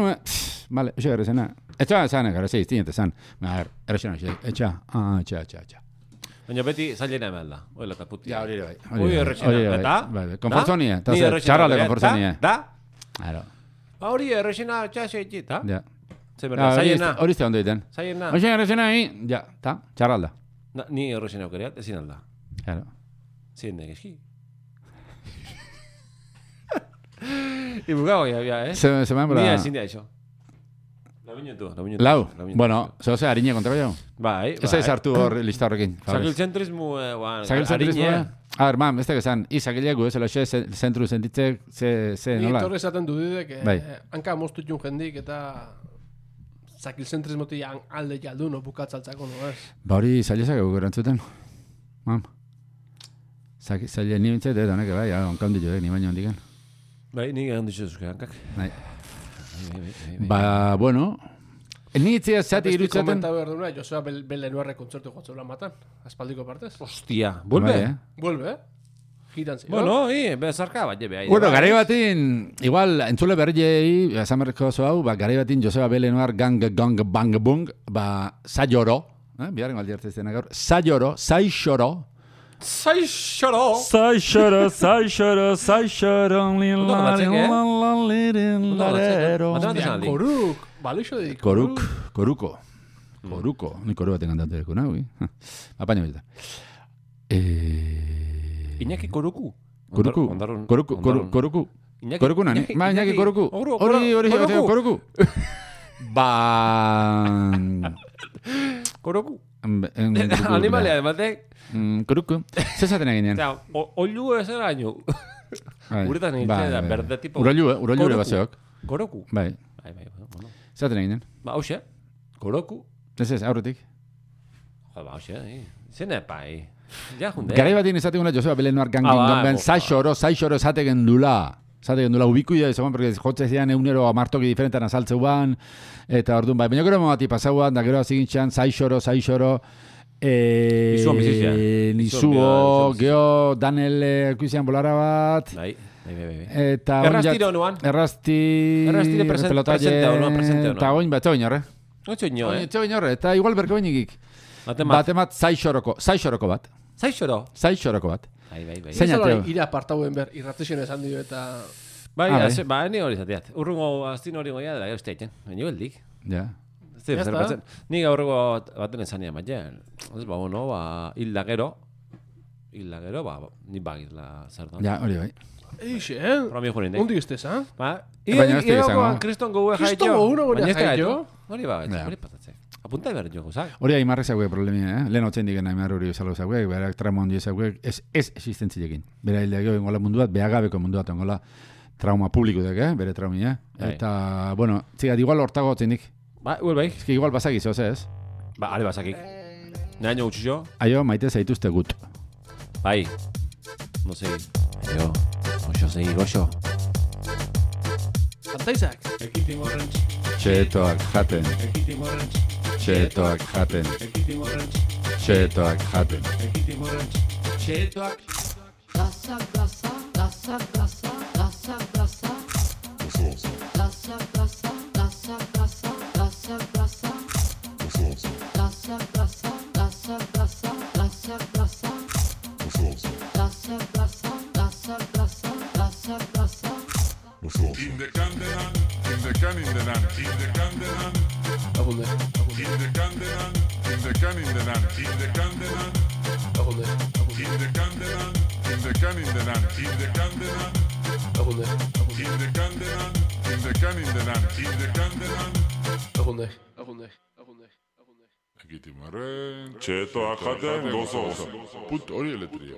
vale, eso gara zena. Etxa zan, gara zei, iztinete zan. A ver, errexena, etxa, ah, etxa, etxa, etxa. Baina beti zailena hemen da. Oila eta puti. Ja, hori bai. Hori errexena. Eta? Konfortzonia, eta zer, txarralde konfortzonia. Da? Claro. Ba hori errexena txase etxita. Ja. Zer berda, zailena. Hori izte ondo egiten. Zailena. Hori errexena, ja, ta, txarralda. Ni errexena aukeriat, ezin alda. Claro. Zien egeski. Ibugago ya, ya, eh? Se, se me Ni ezin da iso. La minutu, la minutu. Lau, bueno, zehose harine kontra jau. Bai, bai. Ez ez hartu hor lista horrekin. Sakilzentrismo, guan, Sakilzentrismo, a ver, mam, ez da esan, izakilegu ez, eloxe, zentru sentitzek, ze, ze, Ni nola? torre esaten dudidek, Bai. eh, hanka moztutxun jendik eta zakilzentrismotik alde jaldu no bukatzaltzako, no ez? Ba hori zailezak egu gerantzuten. Mam. Zaile ni bintzat, eta honek, bai, onka hondi jo, ni baino hondiken. Bai, ni gehan ditzu zuzke hankak. Bai. Ba, bueno, ni itzia zati Beste irutzaten. komenta behar duna, Joseba Belenuarre kontzertu jotzela matan, aspaldiko partez. Hostia, vuelve. Bai, eh? Vuelve, eh? Giran zio. Bueno, i, bezarka bat jebe. Bueno, garai batin, igual, entzule berriei, esan berriko oso hau, ba, garai batin Joseba Belenuar gang, gang, bang, bung, ba, zaioro, eh? Biharren galdi hartzezten gaur, zaioro, zaixoro, Zai xoro! Zaixoro, zaixoro, zaixoro, lin la batzek, eh? la la lirin larero. Ondo batzek, eh? Koruk, balixo dik. Koruk, koruko. Koruko, ni koru baten kantatu deko nahi. Apaño bita. Eh... Iñaki Koruku. Koruku, Ondarrun- koruku, koru- ondarrun- koruku. Iñaki- Koruku nani? Iñaki- Ma, Iñaki Iñaki- koruku. Oru- Hori, hori, Koruku. koruku. Ba... Koruku. Animalia. Animalia, batek. Koruku. Zezaten eginen. Osea, o- oilu ez eraino. Uretan nintzen da, berde tipo. Urailu, eh? Urailu ere Koruku. baseok. Koruku. Bai. Bai, bai, bueno. Zezaten eginen. Ba, hoxe. Koruku. Ez ez, aurretik. Jo, ba, hoxe, eh. Zene pai. Ja, junde. Garai batin esateguna Joseba Belenuar gangin Ah, ba, gonben, bo, zaixoro, zaixoro esategen dula. Esategen dula, ubikuia ezagun, porque jotze zian eunero amartoki diferentan azaltzeu ban, eta orduan, bai, baina gero momati pasauan, da gero azigintxan, zaixoro, zaixoro, eh, Nizuo bizizia. Nizuo, geho, Daniel ekuizian bolara bat, Bai, bai, bai, bai. eta... Errastiro nuan. Errasti... Errastire presen- presente hau, no? Presente hau, no? Eta oin bat, oin horre. Otxo ino, eh? Oin horre, eta igual berko oinigik. Batemat. Batemat zaixoroko, zaixoroko bat. Zaixoro. Zaixoroko bat. Bai, bai, bai. Zein ateo? Ira apartauen ber, irratizien esan dio eta... Bai, Ah, bai. haze- ba, ni hori zateat. Urrungo astin hori goia dela, gauste egiten. Baina beldik. Ja. Zer, Ya zer está. batzen. Ni gaurrego baten esan eman, jen. Ez, ba, bueno, ba, hilda gero. Hilda gero, ba, ni bagizla zer da. Ja, hori bai. Eixe, eh? Romi jurin, eh? Ondik estez, ha? Ba, Baina ez da izango. kriston gogue jaitxo. Kriston gogue una Baina ez da jaitxo. gaitu. Hori ba, Ja. hori patatze. Apunta behar jo, gozak. Hori aimarrek zauek problemia, eh? Lehen hotzen digen aimar hori bezalo zauek, berak trauma hondi zauek, ez, ez existentziekin. Bera hildeak jo, ingola mundu bat, behagabeko mundu bat, ingola trauma publiko dek, eh? Bere traumia. Bai. Eta, bueno, txigat, igual hortago hotzen dik. Ba, huel bai. Ez que igual basakiz, oze ez? Ba, ale basakik. Naino gutxixo. Aio, maite zaituzte gut. Bai. No sei. Aio. Oxo, segi, goxo. Antaizak. Txetoak jaten. Txetoak jaten. Txetoak jaten. Txetoak Plaza, plaza, plaza, plaza, plaza, plaza. Plaza, plaza, plaza, plaza, plaza, plaza. Plaza, plaza, plaza, plaza, plaza, plaza. Plaza, plaza, plaza, plaza, plaza, plaza. In the Candelan, in the can in the nan, in the Candelan, Agunde, in the Candelan, in the can in the nan, in the Candelan, agunde, in the Candelan, in the can in the nan, in the Candelan, agunde, in the Candelan, in the can in the nan, in the Candelan. agunde, agunde, agunde, agunde. Ekitimaren, txetoak jaten gozoz. Put hori eletria.